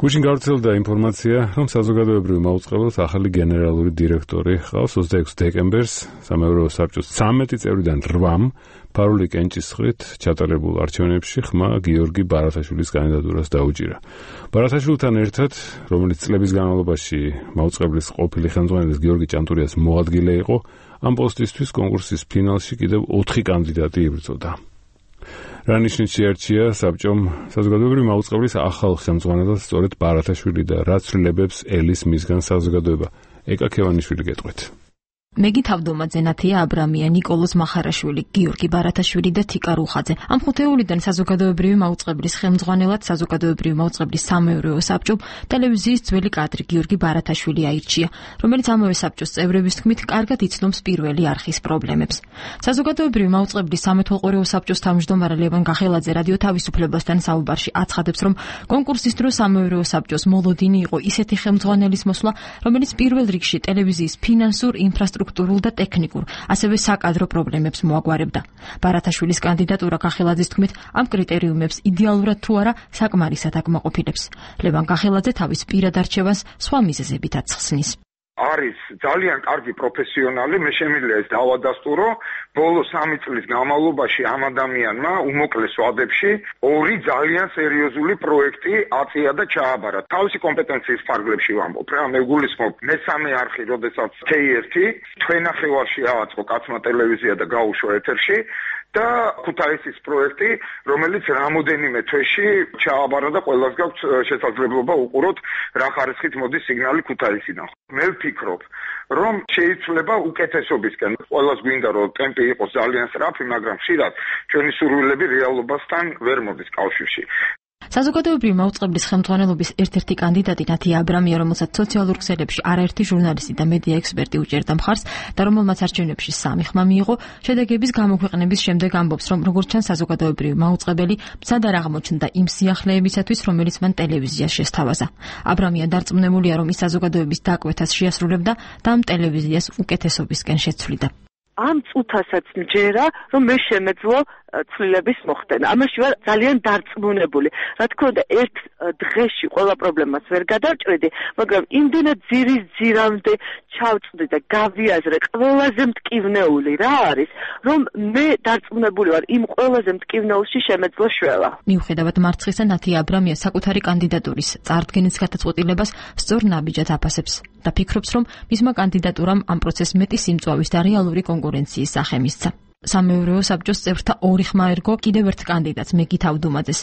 გუშინ გავრცელდა ინფორმაცია, რომ საზოგადოებრივ მაუწყებლად ახალი გენერალური დირექტორი ხავს 26 დეკემბერს სამეურვეო საბჭოს 13 წევრიდან 8 ფარული კენჭისყრით ჩატარებულ არჩევნებში ხმა გიორგი ბარათაშვილის კანდიდატურას დაუჭირა. ბარათაშვილთან ერთად, რომელიც წლების განმავლობაში მაუწყებლის ყოფილი ხელმძღვანელის გიორგი ჭანტურიას მოადგილე იყო, ამ პოსტისთვის კონკურსის ფინალში კიდევ 4 კანდიდატი იბრძოდა. რანიშნით შეარჩია საბჭომ საზოგადოებრივი მაუწყებლის ახალ ხელმძღვანელად სწორედ ბარათაშვილი და რა ცვლილებებს ელის მისგან საზოგადოება. ეკა ქევანიშვილი გეტყვით. მეგი თავდომაძე, ნათია აბრამია, ნიკოლოზ მახარაშვილი, გიორგი ბარათაშვილი და თიკა რუხაძე. ამ ხუთეულიდან საზოგადოებრივი მაუწყებლის ხელმძღვანელად საზოგადოებრივი მაუწყებლის სამეურვეო საბჭომ ტელევიზიის ძველი კადრი გიორგი ბარათაშვილი აირჩია, რომელიც ამავე საბჭოს წევრების თქმით კარგად იცნობს პირველი არხის პრობლემებს. საზოგადოებრივი მაუწყებლის სამეთვალყურეო საბჭოს თავმჯდომარე ლევან გახელაძე რადიო თავისუფლებასთან საუბარში აცხადებს, რომ კონკურსის დროს სამეურვეო საბჭოს მოლოდინი იყო ისეთი ხელმძღვანელის მოსვლა, რომელიც პირველ რიგში ტელევიზიის ფინანსურ ინფრასტრუქტურულ და ტექნიკურ, ასევე საკადრო პრობლემებს მოაგვარებდა. ბარათაშვილის კანდიდატურა გახელაძის თქმით, ამ კრიტერიუმებს idеალურად თუ არა საკმარისად აკმაყოფილებს. ლევან გახელაძე თავის პირად არჩევანს სხვა მიზეზებითაც ხსნის. არის ძალიან კარგი პროფესიონალი, მე შემიძლია ეს დავადასტურო. ბოლო 3 წლის განმავლობაში ამ ადამიანმა უმოკლეს ვადებში 2 ძალიან სერიოზული პროექტი აწია და ჩააბარა. თავისი კომპეტენციის ფარგლებში ვამბობ რა, მე გულისხმობ მესამე არხი, როდესაც K1 თქვენახევარში ააწყო კაცმა ტელევიზია და გაუშვა ეთერში. და ქუთაისის პროექტი, რომელიც რამოდენიმე თვეში ჩააბარა და ყველას გაქვს შესაძლებლობა უყუროთ რა ხარისხით მოდის სიგნალი ქუთაისიდან. მე ვფიქრობ, რომ შეიძლება უკეთესობისკენ. ყველას გვინდა რომ ტემპი იყოს ძალიან სწრაფი, მაგრამ ხშირად ჩვენი სურვილები რეალობასთან ვერ მოდის კავშირში. საზოგადოებრივი მაუწყებლის ხელმძღვანელობის ერთ-ერთი კანდიდატი ნათია აბრამია, რომელსაც სოციალურ ქსელებში არაერთი ჟურნალისტი და მედია ექსპერტი უჭერდა მხარს და რომელმაც არჩევნებში 3 ხმა მიიღო, შედეგების გამოქვეყნების შემდეგ ამბობს, რომ როგორც ჩანს საზოგადოებრივი მაუწყებელი მცად არ აღმოჩნდა იმ სიახლეებისათვის, რომელიც მან ტელევიზიას შესთავაზა. აბრამია დარწმუნებულია, რომ ის საზოგადოების დაკვეთას შეასრულებდა და ამ ტელევიზიას უკეთესობისკენ შეცვლიდა. ამ წუთასაც მჯერა, რომ მე შემეძლო ცვლილების მოხდენა. ამაში ვარ ძალიან დარწმუნებული. რა თქმა უნდა, ერთ დღეში ყველა პრობლემას ვერ გადავჭრიდი, მაგრამ იმდენად ძირის ძირამდე ჩავწვდი და გავიაზრე ყველაზე მტკივნეული რა არის, რომ მე დარწმუნებული ვარ იმ ყველაზე მტკივნეულში შემეძლო შველა. მიუხედავად მარცხისა, ნათია აბრამია საკუთარი კანდიდატურის წარდგენის გადაწყვეტილებას სწორ ნაბიჯად აფასებს და ფიქრობს, რომ მისმა კანდიდატურამ ამ პროცესს მეტი სიმწვავის და რეალური კონკურენციის სახე მისცა. სამეურვეო საბჭოს წევრთა 2 ხმა ერგო კიდევ ერთ კანდიდატს მეგი თავდუმაძეს.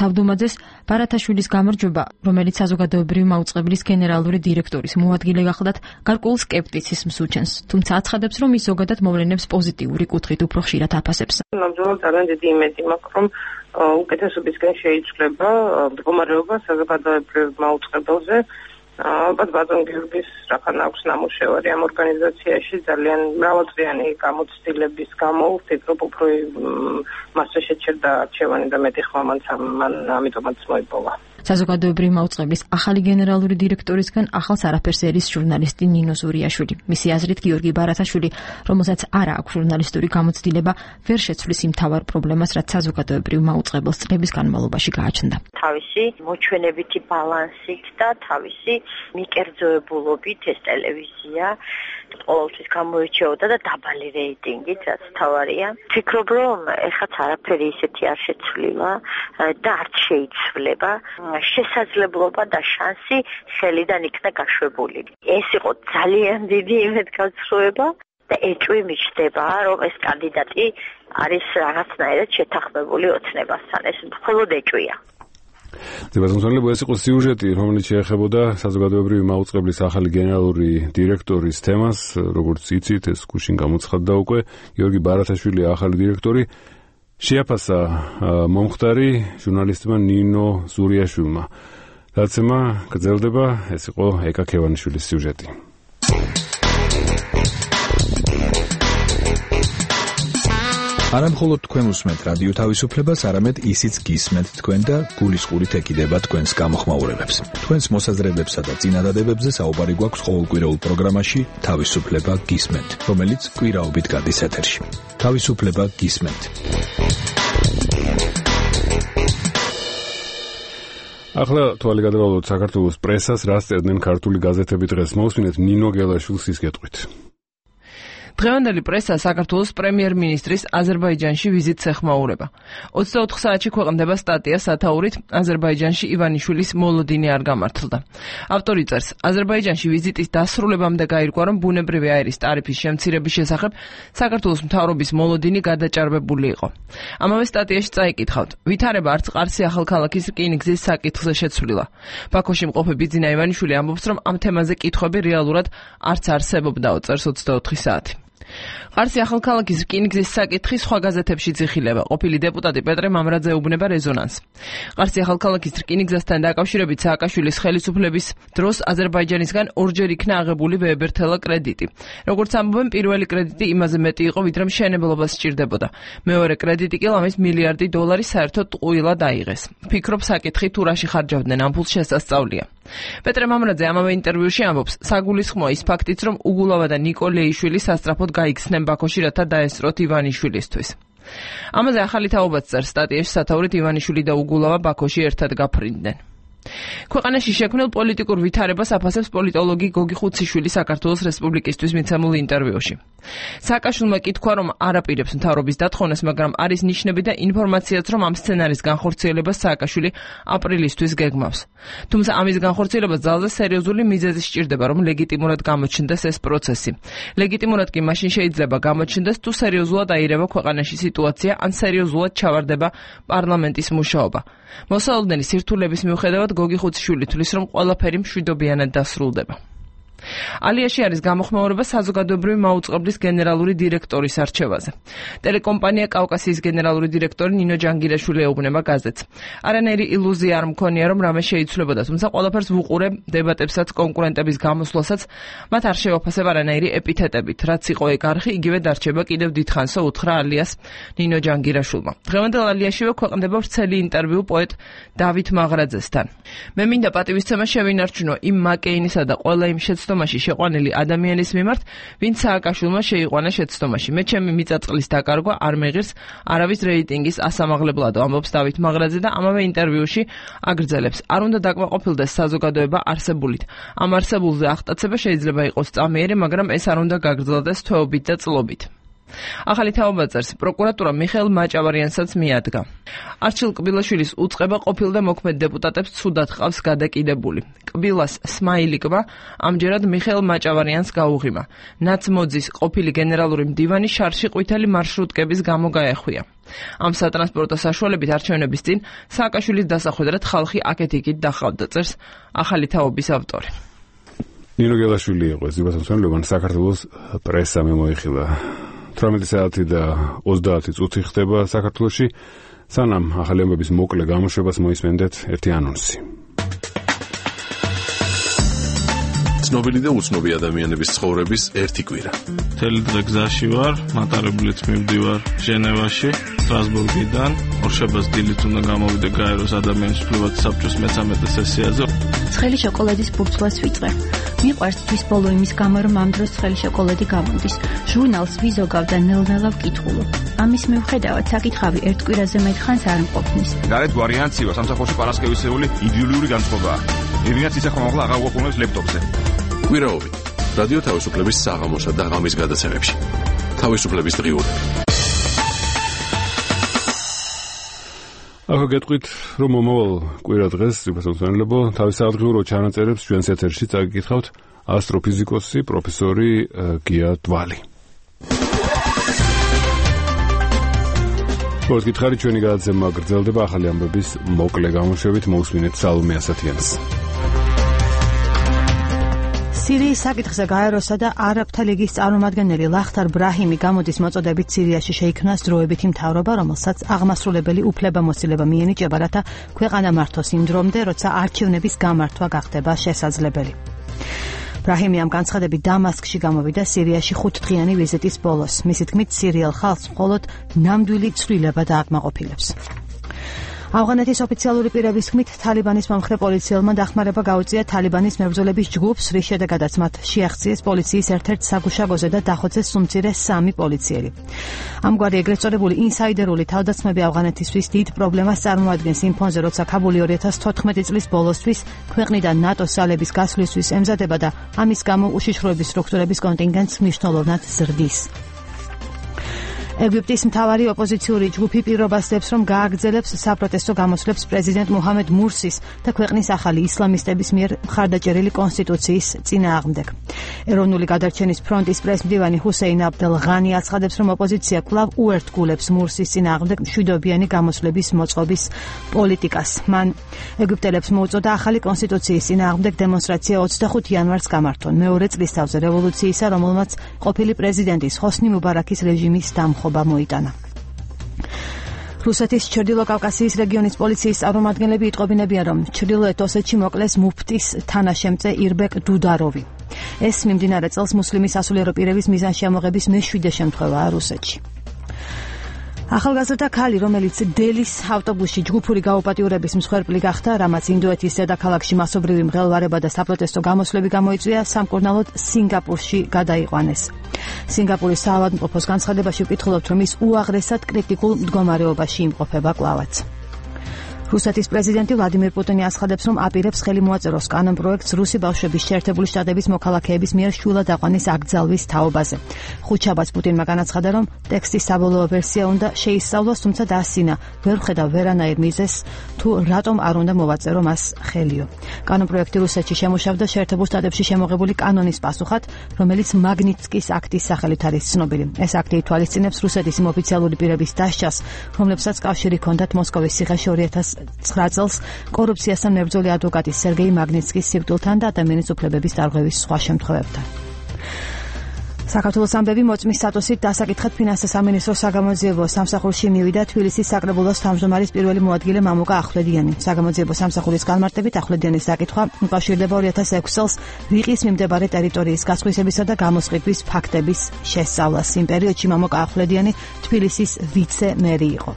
თავდუმაძეს ბარათაშვილის გამარჯვება, რომელიც საზოგადოებრივი მაუწყებლის გენერალური დირექტორის მოადგილე გახლდათ, გარკვეულ სკეპტიციზმს უჩენს, თუმცა აცხადებს, რომ ის ზოგადად მოვლენებს პოზიტიური კუთხით უფრო ხშირად აფასებს. ნამდვილად ძალიან დიდი იმედი მაქვს, რომ უკეთესობისკენ შეიცვლება მდგომარეობა საზოგადოებრივ მაუწყებელზე. ალბათ ბატონ გიორგის რახან აქვს ნამუშევარი ამ ორგანიზაციაში ძალიან მრავალწლიანი გამოცდილების გამო ვფიქრობ უფრო მასზე შეჩერდა არჩევანი და მეტი ხმა მან ამიტომაც მოიპოვა. საზოგადოებრივი მაუწყებლის ახალი გენერალური დირექტორისგან ახალს არაფერს ერის ჟურნალისტი ნინო ზურიაშვილი. მისი აზრით გიორგი ბარათაშვილი, რომელსაც არ აქვს ჟურნალისტური გამოცდილება, ვერ შეცვლის იმ მთავარ პრობლემას, რაც საზოგადოებრივ მაუწყებელს წლების განმავლობაში გააჩნდა. თავისი მოჩვენებითი ბალანსით და თავისი მიკერძოებულობით ეს ტელევიზია ყოველთვის გამოირჩეოდა და დაბალი რეიტინგით, რაც თავარია. ვფიქრობ, რომ ეხაც არაფერი ისეთი არ შეცვლილა და არც შეიცვლება. შესაძლებლობა და შანსი ხელიდან იქნა გაშვებული. ეს იყო ძალიან დიდი იმედგაცრუება და ეჭვი მიჩნდება, რომ ეს კანდიდატი არის რაღაცნაირად შეთანხმებული ოცნებასთან. ეს მხოლოდ ეჭვია. დებატონსონლებო, ეს იყო სიუჟეტი, რომელიც შეეხებოდა საზოგადოებრივი მაუწყებლის ახალი გენერალური დირექტორის თემას. როგორც იცით, ეს გუშინ გამოცხადდა უკვე. გიორგი ბარათაშვილი ახალი დირექტორი. შეაფასა მომხდარი ჟურნალისტმა ნინო ზურიაშვილმა. დაცემა გრძელდება, ეს იყო ეკა ქევანიშვილის სიუჟეტი. არა მხოლოდ თქვენ უსმენთ რადიო თავისუფლებას, არამედ ისიც გისმენთ თქვენ და გულისყურით ეკიდება თქვენს გამოხმაურებებს. თქვენს მოსაზრებებსა და წინადადებებზე საუბარი გვაქვს ყოველკვირეულ პროგრამაში თავისუფლება გისმენთ, რომელიც კვირაობით გადის ეთერში. თავისუფლება გისმენთ. ახლა თვალი გადავალოთ საქართველოს პრესას, რას წერდნენ ქართული გაზეთები დღეს. მოусმინეთ ნინო გელაშვილის სისკეთყვით. დღევანდელი პრესა საქართველოს პრემიერ-მინისტრის აზერბაიჯანში ვიზიტს ეხმაურება. 24 საათში ქვეყნდება სტატია სათაურით აზერბაიჯანში ივანიშვილის მოლოდინი არ გამართლდა. ავტორი წერს, აზერბაიჯანში ვიზიტის დასრულებამდე გაირკვა, რომ ბუნებრივი აირის ტარიფის შემცირების შესახებ საქართველოს მთავრობის მოლოდინი გადაჭარბებული იყო. ამავე სტატიაში წაიკითხავთ, ვითარება არც ყარსი ახალქალაქის რკინიგზის საკითხზე შეცვლილა. ბაქოში მყოფი ბიძინა ივანიშვილი ამბობს, რომ ამ თემაზე კითხვები რეალურად არც არსებობდაო, წერს 24 საათი. ყარსი ახალქალაქის რკინიგზის საკითხი სხვა გაზეთებში ძიხილება. ყოფილი დეპუტატი პეტრე მამრაძე ეუბნება რეზონანსს. ყარსი ახალქალაქის რკინიგზასთან დაკავშირებით სააკაშვილის ხელისუფლების დროს აზერბაიჯანისგან ორჯერ იქნა აღებული ვეებერთელა კრედიტი. როგორც ამბობენ, პირველი კრედიტი იმაზე მეტი იყო, ვიდრე მშენებლობას სჭირდებოდა. მეორე კრედიტი კი ლამის $1 მილიარდი საერთოდ ტყუილად აიღეს. ვფიქრობ, საკითხი თუ რაში ხარჯავდნენ ამ ფულს შესასწავლია. პეტრე მამრაძე ამავე ინტერვიუში ამბობს, საგულისხმოა ის ფაქტიც, რომ უგულავა და ნიკო ლეიშვილი სასწრაფოდ გაიქცნენ ბაქოში, რათა დაესწროთ ივანიშვილისთვის. ამაზე ახალი თაობაც წერს სტატიაში სათაურით ივანიშვილი და უგულავა ბაქოში ერთად გაფრინდნენ. ქვეყანაში შექმნილ პოლიტიკურ ვითარებას აფასებს პოლიტოლოგი გოგი ხუციშვილი საქართველოს რესპუბლიკისთვის მიცემულ ინტერვიუში. სააკაშვილმა კითხვა, რომ არ აპირებს მთავრობის დათხოვნას, მაგრამ არის ნიშნები და ინფორმაციაც, რომ ამ სცენარის განხორციელებას სააკაშვილი აპრილისთვის გეგმავს. თუმცა ამის განხორციელებას ძალზე სერიოზული მიზეზი სჭირდება, რომ ლეგიტიმურად გამოჩნდეს ეს პროცესი. ლეგიტიმურად კი მაშინ შეიძლება გამოჩნდეს, თუ სერიოზულად აირება ქვეყანაში სიტუაცია, ან სერიოზულად ჩავარდება პარლამენტის მუშაობა. მოსალოდნელი სირთულების მიუხედავად გოგი ხუციშვილი თვლის, რომ ყველაფერი მშვიდობიანად დასრულდება. ალიაში არის გამოხმაურება საზოგადოებრივი მაუწყებლის გენერალური დირექტორის არჩევაზე. ტელეკომპანია კავკასიის გენერალური დირექტორი ნინო ჯანგირაშვილი ეუბნება გაზეთს. არანაირი ილუზია არ მქონია, რომ რამე შეიცვლებოდა, თუმცა ყველაფერს ვუყურებ დებატებსაც, კონკურენტების გამოსვლასაც, მათ არ შევაფასებ არანაირი ეპითეტებით. რაც იყო ეგ არხი, იგივე დარჩება კიდევ დიდხანსო, უთხრა ალიას ნინო ჯანგირაშვილმა. დღევანდელ ალიაშივე ქვეყნდება ვრცელი ინტერვიუ პოეტ დავით მაღრაძესთან. მე მინდა პატივისცემა შევინარჩუნო იმ მაკეინისა და ყველა იმ შეცდომაში შეყვანილი ადამიანის მიმართ, ვინც სააკაშვილმა შეიყვანა შეცდომაში. მე ჩემი მიწაწყლის დაკარგვა არ მეღირს არავის რეიტინგის ასამაღლებლად, ამბობს დავით მაღრაძე და ამავე ინტერვიუში აგრძელებს. არ უნდა დაკმაყოფილდეს საზოგადოება არსებულით. ამ არსებულზე აღტაცება შეიძლება იყოს წამიერი, მაგრამ ეს არ უნდა გაგრძელდეს თვეობით და წლობით. ახალი თაობა წერს, პროკურატურა მიხეილ მაჭავარიანსაც მიადგა. არჩილ კბილაშვილის უწყება ყოფილ და მოქმედ დეპუტატებს ცუდად ყავს გადაკიდებული. კბილას სმაილიკმა ამჯერად მიხეილ მაჭავარიანს გაუღიმა. ნაცმოძის ყოფილი გენერალური მდივანი შარში ყვითელი მარშრუტკების გამო გაეხვია. ამ სატრანსპორტო საშუალებით არჩევნების წინ სააკაშვილის დასახვედრად ხალხი აქეთ-იქით დახავდა, წერს ახალი თაობის ავტორი. ნინო გელაშვილი იყო ეს დებატონსონლებო, საქართველოს პრესა მოიხილა. 18 საათი და 30 წუთი ხდება საქართველოში. სანამ ახალი ამბების მოკლე გამოშვებას მოისმენდეთ ერთი ანონსი. ცნობილი და უცნობი ადამიანების ცხოვრების ერთი კვირა. მთელი დღე გზაში ვარ, მატარებლით მივდივარ ჟენევაში. სტრასბურგიდან ორშაბათს დილით უნდა გამოვიდე გაეროს ადამიანის უფლებათა საბჭოს მე-13 სესიაზე. ცხელი შოკოლადის ბურთულას ვიწყე. მიყვარს თვის ბოლო იმის გამო, რომ ამ დროს ცხელი შოკოლადი გამოდის. ჟურნალს ვიზოგავ და ნელ-ნელა ვკითხულობ. ამის მიუხედავად საკითხავი ერთ კვირაზე მეტხანს არ მყოფნის. გარეთ ვარიანცივა სამსახურში პარასკევისეული იდეოლოგიური განწყობაა. ევინაც ისე ხმამაღლა აღარ გვაყოლებს ლეპტოპზე. კვირაობით რადიო თავისუფლების საღამოსა და ღამის გადაცემებში. თავისუფლების დღიურები. ახლა გეტყვით, რომ მომავალ კვირა დღეს სიუპასონსონელებო თავის აღდგიურო ჩანაწერებს ჩვენს ეთერში წაგიკითხავთ ასტროფიზიკოსი პროფესორი გია დვალი. როგორც გითხარი, ჩვენი გადაცემა გრძელდება ახალი ამბების მოკლე გამოშვებით, მოусმინეთ სალომე ასათიანს. სირიის საკითხზე გაეროსა და არაბთა ლიგის წარმომადგენელი ლახთარ ბრაჰიმი გამოდის მოწოდებით სირიაში შეიქმნას დროებითი მთავრობა, რომელსაც აღმასრულებელი უფლებამოსილება მიენიჭება, რათა ქვეყანა მართოს იმ დრომდე, როცა არჩევნების გამართვა გახდება შესაძლებელი. ბრაჰიმი ამ განცხადებით დამასკში გამოვიდა სირიაში 5 დღიანი ვიზიტის ბოლოს. მისი თქმით, სირიელ ხალხს მხოლოდ ნამდვილი ცვლილება დააკმაყოფილებს. ავღანეთის ოფიციალური პირების თქმით, თალიბანის მომხრე პოლიციელმა დახმარება გაუწია თალიბანის მებრძოლების ჯგუფს, რის შედეგადაც მათ შეაღწიეს პოლიციის ერთ-ერთ საგუშაგოზე და დახოცეს სუმცირე 3 პოლიციელი. ამგვარი ეგრეთ წოდებული ინსაიდერული თავდასხმები ავღანეთისთვის დიდ პრობლემას წარმოადგენს იმ ფონზე, როცა ქაბული 2014 წლის ბოლოსთვის ქვეყნიდან ნატოს ძალების გასვლისთვის ემზადება და ამის გამო უშიშროების სტრუქტურების კონტინგენტს მნიშვნელოვნად ზრდის. ეგვიპტის მთავარი ოპოზიციური ჯგუფი პირობას დებს, რომ გააგრძელებს საპროტესტო გამოსვლებს პრეზიდენტ მუჰამედ მურსის და ქვეყნის ახალი ისლამისტების მიერ მხარდაჭერილი კონსტიტუციის წინააღმდეგ. ეროვნული გადარჩენის ფრონტის პრესმდივანი ჰუსეინ აბდელ ღანი აცხადებს, რომ ოპოზიცია კვლავ უერთგულებს მურსის წინააღმდეგ მშვიდობიანი გამოსვლების მოწყობის პოლიტიკას. მან ეგვიპტელებს მოუწოდა ახალი კონსტიტუციის წინააღმდეგ დემონსტრაცია 25 იანვარს გამართონ, მეორე წლისთავზე რევოლუციისა, რომელმაც ყოფილი პრეზიდენტის ჰოსნი მუბარაქის რეჟიმის დამხობა მოიტანა. რუსეთის ჩრდილოკავკასიის რეგიონის პოლიციის წარმომადგენლები იტყობინებიან, რომ ჩრდილოეთ ოსეთში მოკლეს მუფტის თანაშემწე ირბეკ დუდაროვი. ეს მიმდინარე წელს მუსლიმი სასულიერო პირების მიზანშემოღების მე-7 შემთხვევაა რუსეთში. ახალგაზრდა ქალი, რომელიც დელის ავტობუსში ჯგუფური გაუპატიურების მსხვერპლი გახდა, რამაც ინდოეთის ზედაქალაქში მასობრივი მღელვარება და საპროტესტო გამოსვლები გამოიწვია, სამკურნალოდ სინგაპურში გადაიყვანეს. სინგაპურის საავადმყოფოს განცხადებაში ვკითხულობთ, რომ ის უაღრესად კრიტიკულ მდგომარეობაში იმყოფება კვლავაც. რუსეთის პრეზიდენტი ვლადიმირ პუტინი აცხადებს, რომ აპირებს ხელი მოაწეროს კანონპროექტს რუსი ბავშვების შეერთებული შტატების მოქალაქეების მიერ შვილად აყვანის აკრძალვის თაობაზე. ხუთშაბათს პუტინმა განაცხადა, რომ ტექსტის საბოლოო ვერსია უნდა შეისწავლოს, თუმცა დაასწინა, ვერ ხედავ ვერანაირ მიზეზს, თუ რატომ არ უნდა მოვაწერო მას ხელიო. კანონპროექტი რუსეთში შემუშავდა შეერთებულ შტატებში შემოღებული კანონის პასუხად, რომელიც მაგნიტსკის აქტის სახელით არის ცნობილი. ეს აქტი ითვალისწინებს რუსეთის იმ ოფიციალური პირების დასჯას, რომლებსაც კავშირი ჰქონდათ მოსკოვის ციხეში 2009 წელს კორუფციასთან მებრძოლი ადვოკატის სერგეი მაგნიტსკის სიკვდილთან და ადამიანის უფლებების დარღვევის სხვა შემთხვევებთან. საქართველოს ამბები მოწმის სტატუსით დასაკითხად ფინანსთა სამინისტროს საგამოძიებო სამსახურში მივიდა თბილისის საკრებულოს თავმჯდომარის პირველი მოადგილე მამუკა ახვლედიანი. საგამოძიებო სამსახურის განმარტებით ახვლედიანის საკითხვა უკავშირდება 2006 წელს ვიყის მიმდებარე ტერიტორიის გასხვისებისა და გამოსყიდვის ფაქტების შესწავლას. იმ პერიოდში მამუკა ახვლედიანი თბილისის ვიცე-მერი იყო.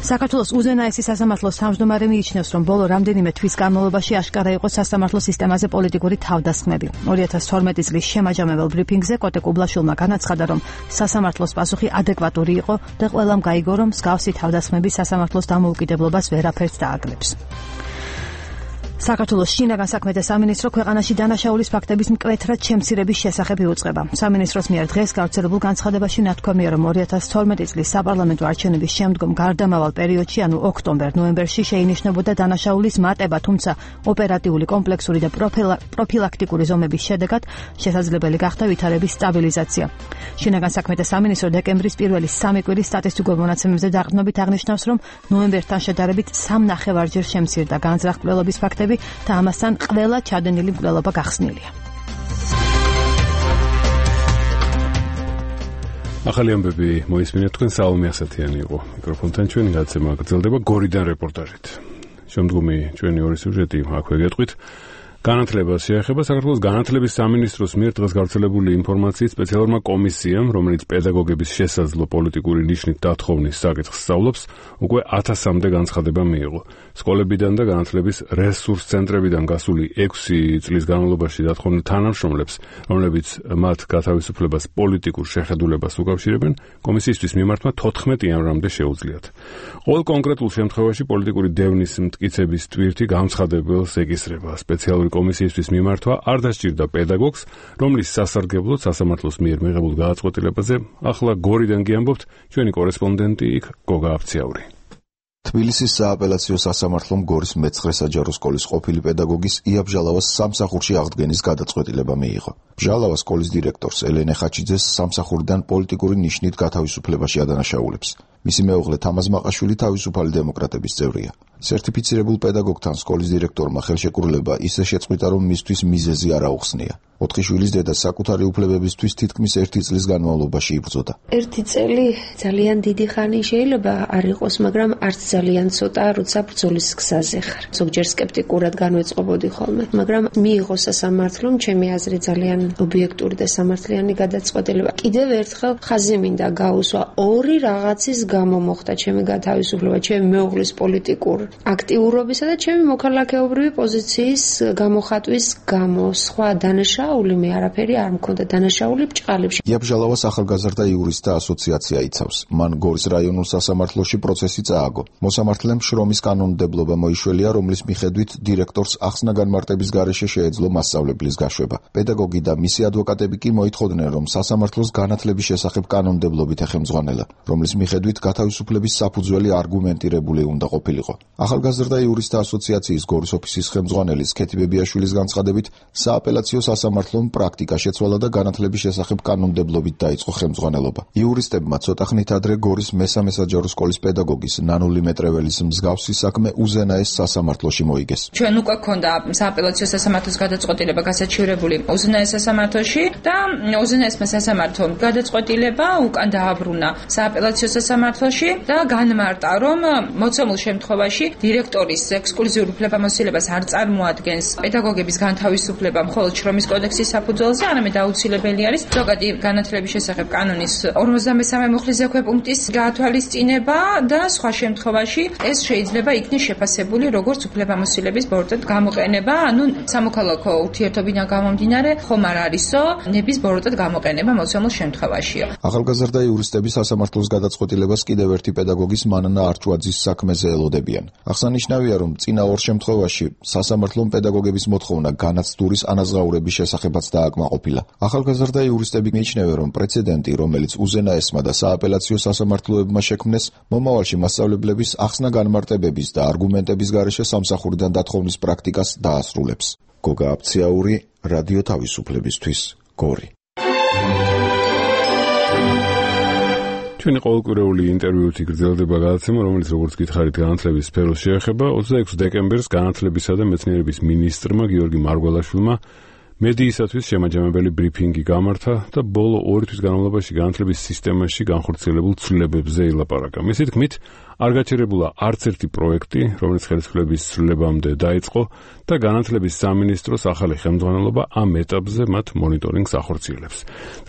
საქართველოს უზენაესი სასამართლოს თავმჯდომარე მიიჩნევს, რომ ბოლო რამდენიმე თვის განმავლობაში აშკარა იყო სასამართლო სისტემაზე პოლიტიკური თავდასხმები. 2012 წლის შემაჯამებელ ბრიფინგზე კოტე კუბლაშვილმა განაცხადა, რომ სასამართლოს პასუხი ადეკვატური იყო და ყველამ გაიგო, რომ მსგავსი თავდასხმები სასამართლოს დამოუკიდებლობას ვერაფერს დააკლებს. საქართველოს შინაგან საქმეთა სამინისტრო ქვეყანაში დანაშაულის ფაქტების მკვეთრად შემცირების შესახებ იუწყება. სამინისტროს მიერ დღეს გავრცელებულ განცხადებაში ნათქვამია, რომ 2012 წლის საპარლამენტო არჩევნების შემდგომ გარდამავალ პერიოდში, ანუ ოქტომბერ-ნოემბერში შეინიშნებოდა დანაშაულის მატება, თუმცა ოპერატიული, კომპლექსური და პროფილაქტიკური ზომების შედეგად შესაძლებელი გახდა ვითარების სტაბილიზაცია. შინაგან საქმეთა სამინისტრო დეკემბრის პირველი 3 კვირის სტატისტიკურ მონაცემებზე დაყრდნობით აღნიშნავს, რომ ნოემბერთან შედარებით 3.5-ჯერ შემცირდა განზრახ-მკვლელობის ფაქტები და ამასთან ყველა ჩადენილი მკვლელობა გახსნილია. ახალი ამბები მოისმინეთ, თქვენ სალომე ასათიანი იყო მიკროფონთან. ჩვენი გადაცემა გრძელდება გორიდან რეპორტაჟით. შემდგომი ჩვენი ორი სიუჟეტი აქვე გეტყვით. განათლებას შეეხება საქართველოს განათლების სამინისტროს მიერ დღეს გავრცელებული ინფორმაციით სპეციალურმა კომისიამ, რომელიც პედაგოგების შესაძლო პოლიტიკური ნიშნით დათხოვნის საკითხს სწავლობს, უკვე 1000-მდე განცხადება მიიღო. სკოლებიდან და განათლების რესურს ცენტრებიდან გასული 6 წლის განმავლობაში დათხოვნილ თანამშრომლებს, რომლებიც მათ გათავისუფლებას პოლიტიკურ შეხედულებას უკავშირებენ, კომისიისთვის მიმართვა 14 იანვრამდე შეუძლიათ. ყოველ კონკრეტულ შემთხვევაში პოლიტიკური დევნის მტკიცების ტვირთი გამცხადებელს ეკისრება. სპეციალური კომისიისთვის მიმართვა არ დასჭირდა პედაგოგს, რომლის სასარგებლოდ სასამართლოს მიერ მიღებულ გადაწყვეტილებაზე ახლა გორიდან გიამბობთ ჩვენი კორესპონდენტი იქ გოგა აფციაური. თბილისის სააპელაციო სასამართლომ გორის მე-9 საჯარო სკოლის ყოფილი პედაგოგის იაბჟალავას სამსახურში აღდგენის გადაწყვეტილება მიიღო. ბჟალავა სკოლის დირექტორს ელენე ხაჩიძეს სამსახურიდან პოლიტიკური ნიშნით გათავისუფლებაში ადანაშაულებს. მისი მეუღლე თამაზ მაყაშვილი თავისუფალი დემოკრატების წევრია. სერტიფიცირებულ პედაგოგთან სკოლის დირექტორმა ხელშეკრულება ისე შეწყვიტა, რომ მისთვის მიზეზი არ აუხსნია. 4 შვილის დედა საკუთარი უფლებებისთვის თითქმის 1 წლის განმავლობაში იბრძოდა. 1 წელი ძალიან დიდი ხანი შეიძლება არ იყოს, მაგრამ არც ძალიან ცოტა, როცა ბრძოლის გზაზე ხარ. ზოგჯერ სკეპტიკურად განვეწყობოდი ხოლმე, მაგრამ მიიღო სასამართლომ ჩემი აზრით ძალიან ობიექტური და სამართლიანი გადაწყვეტილება. კიდევ ერთხელ ხაზი მინდა გაუსვა, ორი რაღაცის გამო მოხდა ჩემი გათავისუფლება, ჩემი მეუღლის პოლიტიკურ აქტიურობისა და ჩემი მოქალაქეობრივი პოზიციის გამოხატვის გამო. სხვა დანაშაული მე არაფერი არ მქონდა, დანაშაული ბჭყალებში. იაბჟალავას ახალგაზრდა იურისტთა ასოციაცია იცავს. მან გორის რაიონულ სასამართლოში პროცესი წააგო. მოსამართლემ შრომის კანონმდებლობა მოიშველია, რომლის მიხედვით დირექტორს ახსნა განმარტების გარეშე შეეძლო მასწავლებლის გაშვება. პედაგოგი და მისი ადვოკატები კი მოითხოვდნენ, რომ სასამართლოს განათლების შესახებ კანონმდებლობით ეხემძღვანელა, რომლის მიხედვით გათავისუფლების საფუძველი არგუმენტირებული უნდა ყოფილიყო. ახალგაზრდა იურისტთა ასოციაციის გორის ოფისის ხელმძღვანელის ქეთი ბებიაშვილის განცხადებით, სააპელაციო სასამართლომ პრაქტიკა შეცვალა და განათლების შესახებ კანონმდებლობით დაიწყო ხელმძღვანელობა. იურისტებმა ცოტა ხნით ადრე გორის მე-3 საჯარო სკოლის პედაგოგის ნანული მეტრეველის მსგავსი საქმე უზენაეს სასამართლოში მოიგეს. ჩვენ უკვე გქონდა სააპელაციო სასამართლოს გადაწყვეტილება გასაჩივრებული უზენაეს სასამართლოში და უზენაესმა სასამართლომ გადაწყვეტილება უკან დააბრუნა სააპელაციო სასამართლოში და განმარტა, რომ მოცემულ შემთხვევაში დირექტორის ექსკლუზიურ უფლებამოსილებას არ წარმოადგენს პედაგოგების განთავისუფლება მხოლოდ შრომის კოდექსის საფუძველზე, არამედ აუცილებელი არის ზოგადი განათლების შესახებ კანონის 53 მუხლის ზექვეპუნქტის გაათვალისწინება და სხვა შემთხვევაში ეს შეიძლება იქნეს შეფასებული როგორც უფლებამოსილების ბოროტად გამოყენება, ანუ სამოქალაქო ურთიერთობიდან გამომდინარე ხომ არ არისო ნების ბოროტად გამოყენება მოცემულ შემთხვევაშიო. ახალგაზრდა იურისტები სასამართლოს გადაწყვეტილებას კიდევ ერთი პედაგოგის მანანა არჩვაძის საქმეზე ელოდებიან. აღსანიშნავია, რომ წინა 2 შემთხვევაში სასამართლომ პედაგოგების მოთხოვნა განაცდურის ანაზღაურების შესახებაც დააკმაყოფილა. ახალგაზრდა იურისტები მიიჩნევენ, რომ პრეცედენტი, რომელიც უზენაესმა და სააპელაციო სასამართლოებმა შექმნეს, მომავალში მასწავლებლების ახსნა განმარტებების და არგუმენტების გარეშე სამსახურიდან დათხოვნის პრაქტიკას დაასრულებს. გოგა აფციაური, რადიო თავისუფლებისთვის, გორი. ჩვენი ყოველკვირეული ინტერვიუთი გრძელდება გადაცემა, რომელიც როგორც გითხარით განათლების სფეროს შეეხება. 26 დეკემბერს განათლებისა და მეცნიერების მინისტრმა გიორგი მარგველაშვილმა მედიისათვის შემაჯამებელი ბრიფინგი გამართა და ბოლო 2 თვის განმავლობაში განათლების სისტემაში განხორციელებულ ცვლილებებზე ილაპარაკა. მისი თქმით, არ გაჩერებულა არც ერთი პროექტი, რომელიც ხელისუფლების ცვლილებამდე დაიწყო და განათლების სამინისტროს ახალი ხელმძღვანელობა ამ ეტაპზე მათ მონიტორინგს ახორციელებს.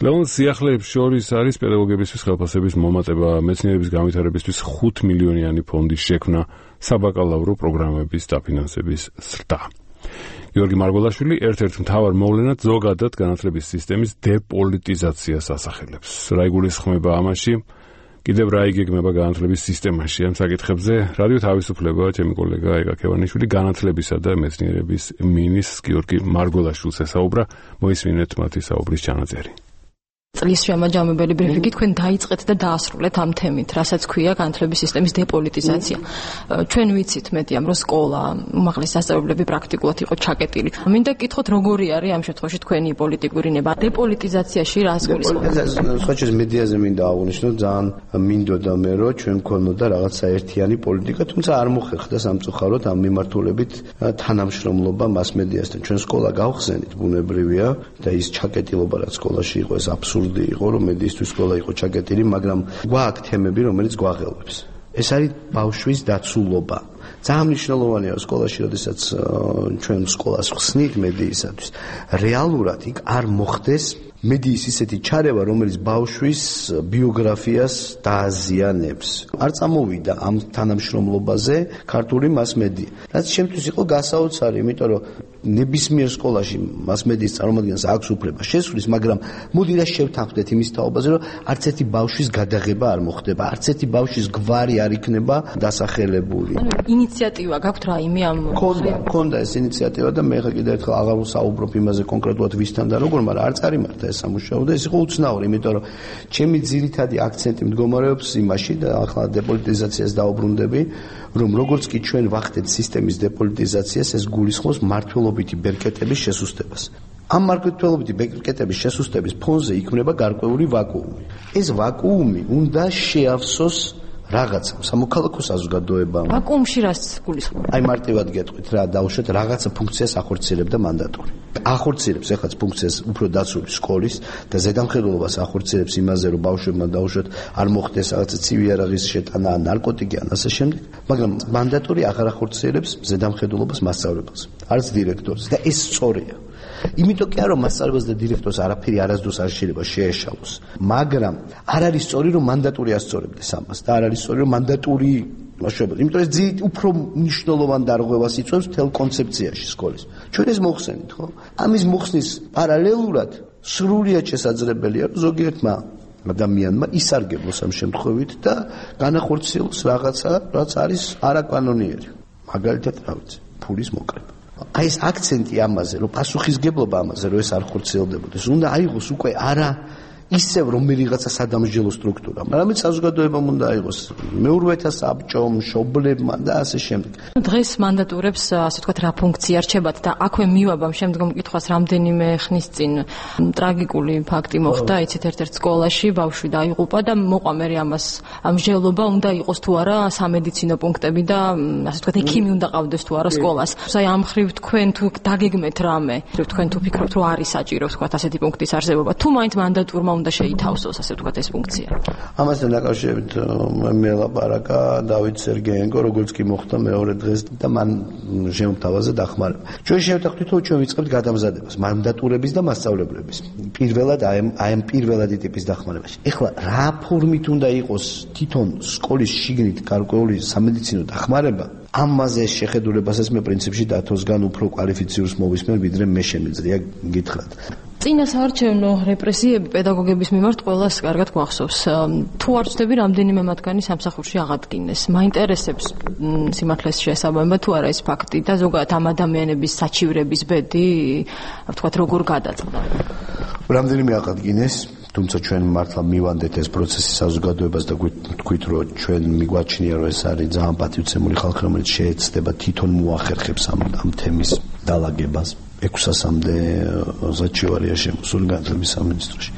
ლეონს სიახლეებს შორის არის პედაგოგებისთვის ხელფასების მომატება, მეცნიერების განვითარებისთვის 5 მილიონიანი ფონდის შექმნა, საბაკალავრო პროგრამების დაფინანსების ზრდა. გიორგი მარგველაშვილი ერთ-ერთ მთავარ მოვლენად ზოგადად განათლების სისტემის დეპოლიტიზაციას ასახელებს. რა იგულისხმება ამაში? კიდევ რა იგეგმება განათლების სისტემაში? ამ საკითხებზე რადიო თავისუფლება ჩემი კოლეგა ეგა ქევანიშვილი განათლებისა და მეცნიერების მინისტრს გიორგი მარგველაშვილს ესაუბრა. მოისმინეთ მათი საუბრის ჩანაწერი. წლის შემაჯამებელი ბრიფინგი თქვენ დაიწყეთ და დაასრულეთ ამ თემით, რასაც ქვია განათლების სისტემის დეპოლიტიზაცია. ჩვენ ვიცით მეტიამ, რომ სკოლა, უმაღლესი სასწავლებლები პრაქტიკულად იყო ჩაკეტილი. მინდა გითხოთ, როგორი არის ამ შემთხვევაში თქვენი პოლიტიკური ნება დეპოლიტიზაციაში რას გულისხმობთ? სხვაჩეს მედიაზე მინდა აღვნიშნო, ძალიან მინდოდა მე, რომ ჩვენ გქონოდა რაღაცა ერთიანი პოლიტიკა, თუმცა არ მოხერხდა სამწუხაროდ ამ მიმართულებით თანამშრომლობა მასმედიასთან. ჩვენ სკოლა გავხსენით, ბუნებრივია და ის ჩაკეტილობა რაც სკოლაში იყო, ეს აბსურდი იყო, რომ მედიისთვის სკოლა იყო ჩაკეტილი, მაგრამ გვაქვს თემები, რომელიც გვაღელვებს. ეს არის ბავშვის დაცულობა. ძალიან მნიშვნელოვანია სკოლაში, როდესაც ჩვენ სკოლას ხსნით მედიისათვის, რეალურად იქ არ მოხდეს მედიის ისეთი ჩარევა, რომელიც ბავშვის ბიოგრაფიას დააზიანებს. არ წამოვიდა ამ თანამშრომლობაზე ქართული მასმედია. რაც შემთხვევით იყო გასაოცარი, იმიტომ რომ ნებისმიერ სკოლაში მასმედიის წარმომადგენელს აქვს უფლება შესვლის, მაგრამ მოდი რა შევთანხმდეთ იმის თაობაზე, რომ არც ერთი ბავშვის გადაღება არ მოხდება, არც ერთი ბავშვის გვარი არ იქნება დასახელებული. ინიციატივა გაქვთ რაიმე ამ ქონდა ეს ინიციატივა და მე კიდევ ერთხელ აღარ ვსაუბრობ იმაზე კონკრეტულად ვისთან და როგორ, მაგრამ არ წარიმართა ეს სამუშაო და ეს იყო უცნაური, იმიტომ რომ ჩემი ძირითადი აქცენტი მდგომარეობს იმაში და ახლა დეპოლიტიზაციას დაუბრუნდები, რომ როგორც კი ჩვენ ვახდეთ სისტემის დეპოლიტიზაციას, ეს გულისხმობს მართლობითი ბერკეტების შესუსტებას. ამ მართლობითი ბერკეტების შესუსტების ფონზე იქმნება გარკვეული ვაკუუმი. ეს ვაკუუმი უნდა შეავსოს რაღაცა სამოქალაქო საზოგადოებამ. ვაკუუმში რას გულისხმობთ? აი მარტივად გეტყვით რა, დავუშვათ რაღაცა ფუნქციას ახორციელებდა მანდატური. ახორციელებს ეხლა ფუნქციას უფრო დაცული სკოლის და ზედამხედველობას ახორციელებს იმაზე, რომ ბავშვებმა დავუშვათ არ მოხდეს რაღაცა ცივი არაღის შეტანა, ნარკოტიკი ან ასე შემდეგ, მაგრამ მანდატური აღარ ახორციელებს ზედამხედველობას მასწავლებელს, არც დირექტორს და ეს სწორია. იმიტომ კი არა რომ მასწავლებელს და დირექტორს არაფერი არასდროს არ შეიძლება შეეშალოს, მაგრამ არ არის სწორი რომ მანდატური ასწორებდეს ამას და არ არის სწორი რომ მანდატური მაშობლად. იმიტომ ეს ძირით უფრო მნიშვნელოვან დარღვევას იწვევს მთელ კონცეფციაში სკოლის. ჩვენ ეს მოხსენით, ხო? ამის მოხსნის პარალელურად სრულიად შესაძლებელია რომ ზოგიერთმა ადამიანმა ისარგებლოს ამ შემთხვევით და განახორციელოს რაღაცა, რაც არის არაკანონიერი. მაგალითად, რა ვიცი, ფულის მოკრება. აი ეს აქცენტი ამაზე, რომ პასუხისგებლობა ამაზე, რომ ეს არ ხორციელდებოდეს, უნდა აიღოს უკვე არა ისევ რომელიღაცა სადამსჯელო სტრუქტურა, მაგრამ საზოგადოებამ უნდა აიღოს მეურვეთა საბჭომ, მშობლებმა და ასე შემდეგ. დღეს მანდატურებს, ასე ვთქვათ, რა ფუნქცია რჩებათ და აქვე მივაბამ შემდგომ კითხვას, რამდენიმე ხნის წინ ტრაგიკული ფაქტი მოხდა, იცით, ერთ-ერთ სკოლაში ბავშვი დაიღუპა და მოყვა მე ამას მსჯელობა უნდა იყოს თუ არა სამედიცინო პუნქტები და ასე ვთქვათ, ექიმი უნდა ყავდეს თუ არა სკოლას. აი ამ ხრივ თქვენ თუ დაგეგმეთ რამე, თქვენ თუ ფიქრობთ, რომ არის საჭირო, ვთქვათ, ასეთი პუნქტის არსებობა, თუ მაინც მანდატურმა უნდა შეითავსოს, ასე ვთქვათ, ეს ფუნქცია. ამასთან დაკავშირებით მე ლაპარაკა დავით სერგეენკო, როგორც კი მოხდა მეორე დღეს და მან შემოთავაზა დახმარება. ჩვენ შევთანხმდით, რომ ჩვენ ვიწყებთ გადამზადებას მანდატურების და მასწავლებლების. პირველად აი ამ პირველადი ტიპის დახმარებაში. ეხლა რა ფორმით უნდა იყოს თვითონ სკოლის შიგნით გარკვეული სამედიცინო დახმარება? ამაზე შეხედულებასაც მე პრინციპში დათოსგან უფრო კვალიფიციურს მოვისმენ, ვიდრე მე შემიძლია გითხრათ. წინასაარჩევნო რეპრესიები პედაგოგების მიმართ ყველას კარგად გვახსოვს. თუ არ ვცდები, რამდენიმე მათგანი სამსახურში აღადგინეს. მაინტერესებს სიმართლეს შესაბამება თუ არა ეს ფაქტი და ზოგადად ამ ადამიანების საჩივრების ბედი, ვთქვათ, როგორ გადაწყდა. რამდენიმე აღადგინეს, თუმცა ჩვენ მართლა მივანდეთ ეს პროცესი საზოგადოებას და თქვით, რომ ჩვენ მიგვაჩნია, რომ ეს არის ძალიან პატივცემული ხალხი, რომელიც შეეცდება თვითონ მოახერხებს ამ თემის დალაგებას. 600-მდე საჩივარია შემოსული განათლების სამინისტროში.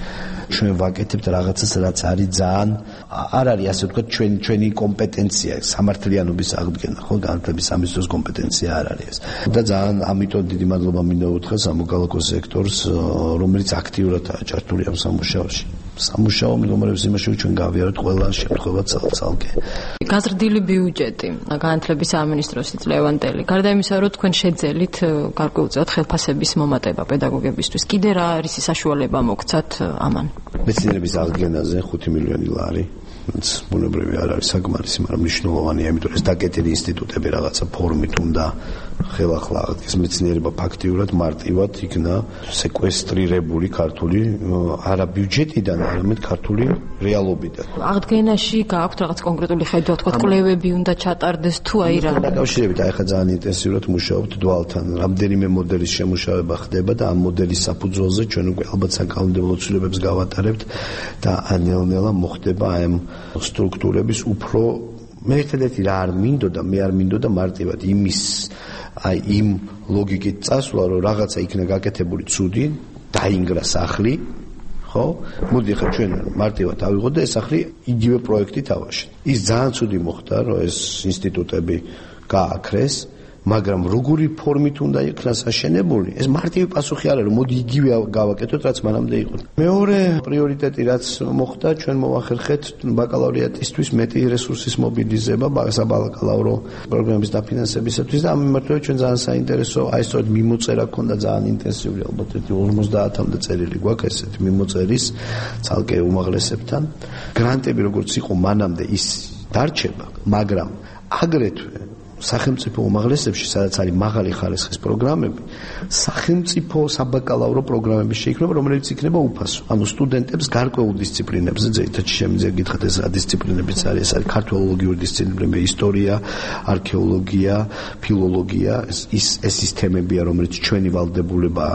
ჩვენ ვაკეთებთ რაღაცას, რაც არის ძალიან არ არის ასე ვთქვათ ჩვენი კომპეტენცია, სამართლიანობის აღდგენა, ხო, განათლების სამინისტროს კომპეტენცია არ არის ეს. და ძალიან ამიტომ დიდი მადლობა მინდა უთხრა სამოქალაქო სექტორს, რომელიც აქტიურადაა ჩართული ამ სამუშაოში. სამუშაო მდგომარეობს იმაში, რომ ჩვენ გავიაროთ ყველა შემთხვევა ცალკე. გაზრდილი ბიუჯეტი განათლების სამინისტროს ლევანტელი. გარდა იმისა, რომ თქვენ შეძელით გარკვეულწილად ხელფასების მომატება პედაგოგებისთვის, კიდე რა არის საშუალება მოგცათ ამან? მეცნიერების აღდგენაზე 5 მილიონი ლარი. ბუნებრივი არ არის საკმარისი, მაგრამ მნიშვნელოვანია, იმიტომ ეს დაკეტილი ინსტიტუტები რაღაცა ფორმით უნდა ხელახლა აღდგეს მეცნიერება ფაქტიურად მარტივად იქნა სეკვესტრირებული ქართული არა ბიუჯეტიდან, არამედ ქართული რეალობიდან. აღდგენაში გააქვთ რაღაც კონკრეტული ხედვა, თქვა კვლევები უნდა ჩატარდეს თუ აი რა. დაკავშირებით აი ხა ძალიან ინტენსიურად მუშაობთ დვალთან. რამდენიმე მოდელის შემუშავება ხდება და ამ მოდელის საფუძველზე ჩვენ უკვე ალბათ საკანონმდებლო ცვლილებებს გავატარებთ და ნელ-ნელა მოხდება აი ამ სტრუქტურების უფრო მე ერთადერთი რა არ მინდოდა, მე არ მინდოდა მარტივად აი იმ ლოგიკით წასვლა, რომ რაღაცა იქნა გაკეთებული ცუდი, დაინგრა სახლი, ხო? მოდი ხა ჩვენ მარტივად ავიღოთ და ეს სახლი იგივე პროექტით ავაშენოთ. ის ძალიან ცუდი მოხდა, რომ ეს ინსტიტუტები გააქრეს, მაგრამ როგორი ფორმით უნდა იქნას აშენებული, ეს მარტივი პასუხი არ არის, რომ მოდი იგივე გავაკეთოთ, რაც მანამდე იყო. მეორე პრიორიტეტი, რაც მოხდა, ჩვენ მოვახერხეთ ბაკალავრიატისთვის მეტი რესურსის მობილიზება საბაკალავრო პროგრამის დაფინანსებისათვის და ამ მიმართულებით ჩვენ ძალიან საინტერესო, აი სწორედ მიმოწერა ქონდა ძალიან ინტენსიური, ალბათ 50-მდე წერილი გვაქვს ესეთი მიმოწერის ცალკე უმაღლესებთან. გრანტები როგორც იყო მანამდე ის დარჩება, მაგრამ აგრეთვე სახელმწიფო უმაღლესებში, სადაც არის მაღალი ხარისხის პროგრამები, სახელმწიფო საბაკალავრო პროგრამები შეიქმნება, რომელიც იქნება უფასო. ანუ სტუდენტებს გარკვეულ დისციპლინებზე, ძირითადად შემიძლია გითხრათ ეს რა დისციპლინებიც არის, ეს არის ქართველოლოგიური დისციპლინები, ისტორია, არქეოლოგია, ფილოლოგია, ეს ის თემებია, რომელიც ჩვენი ვალდებულება,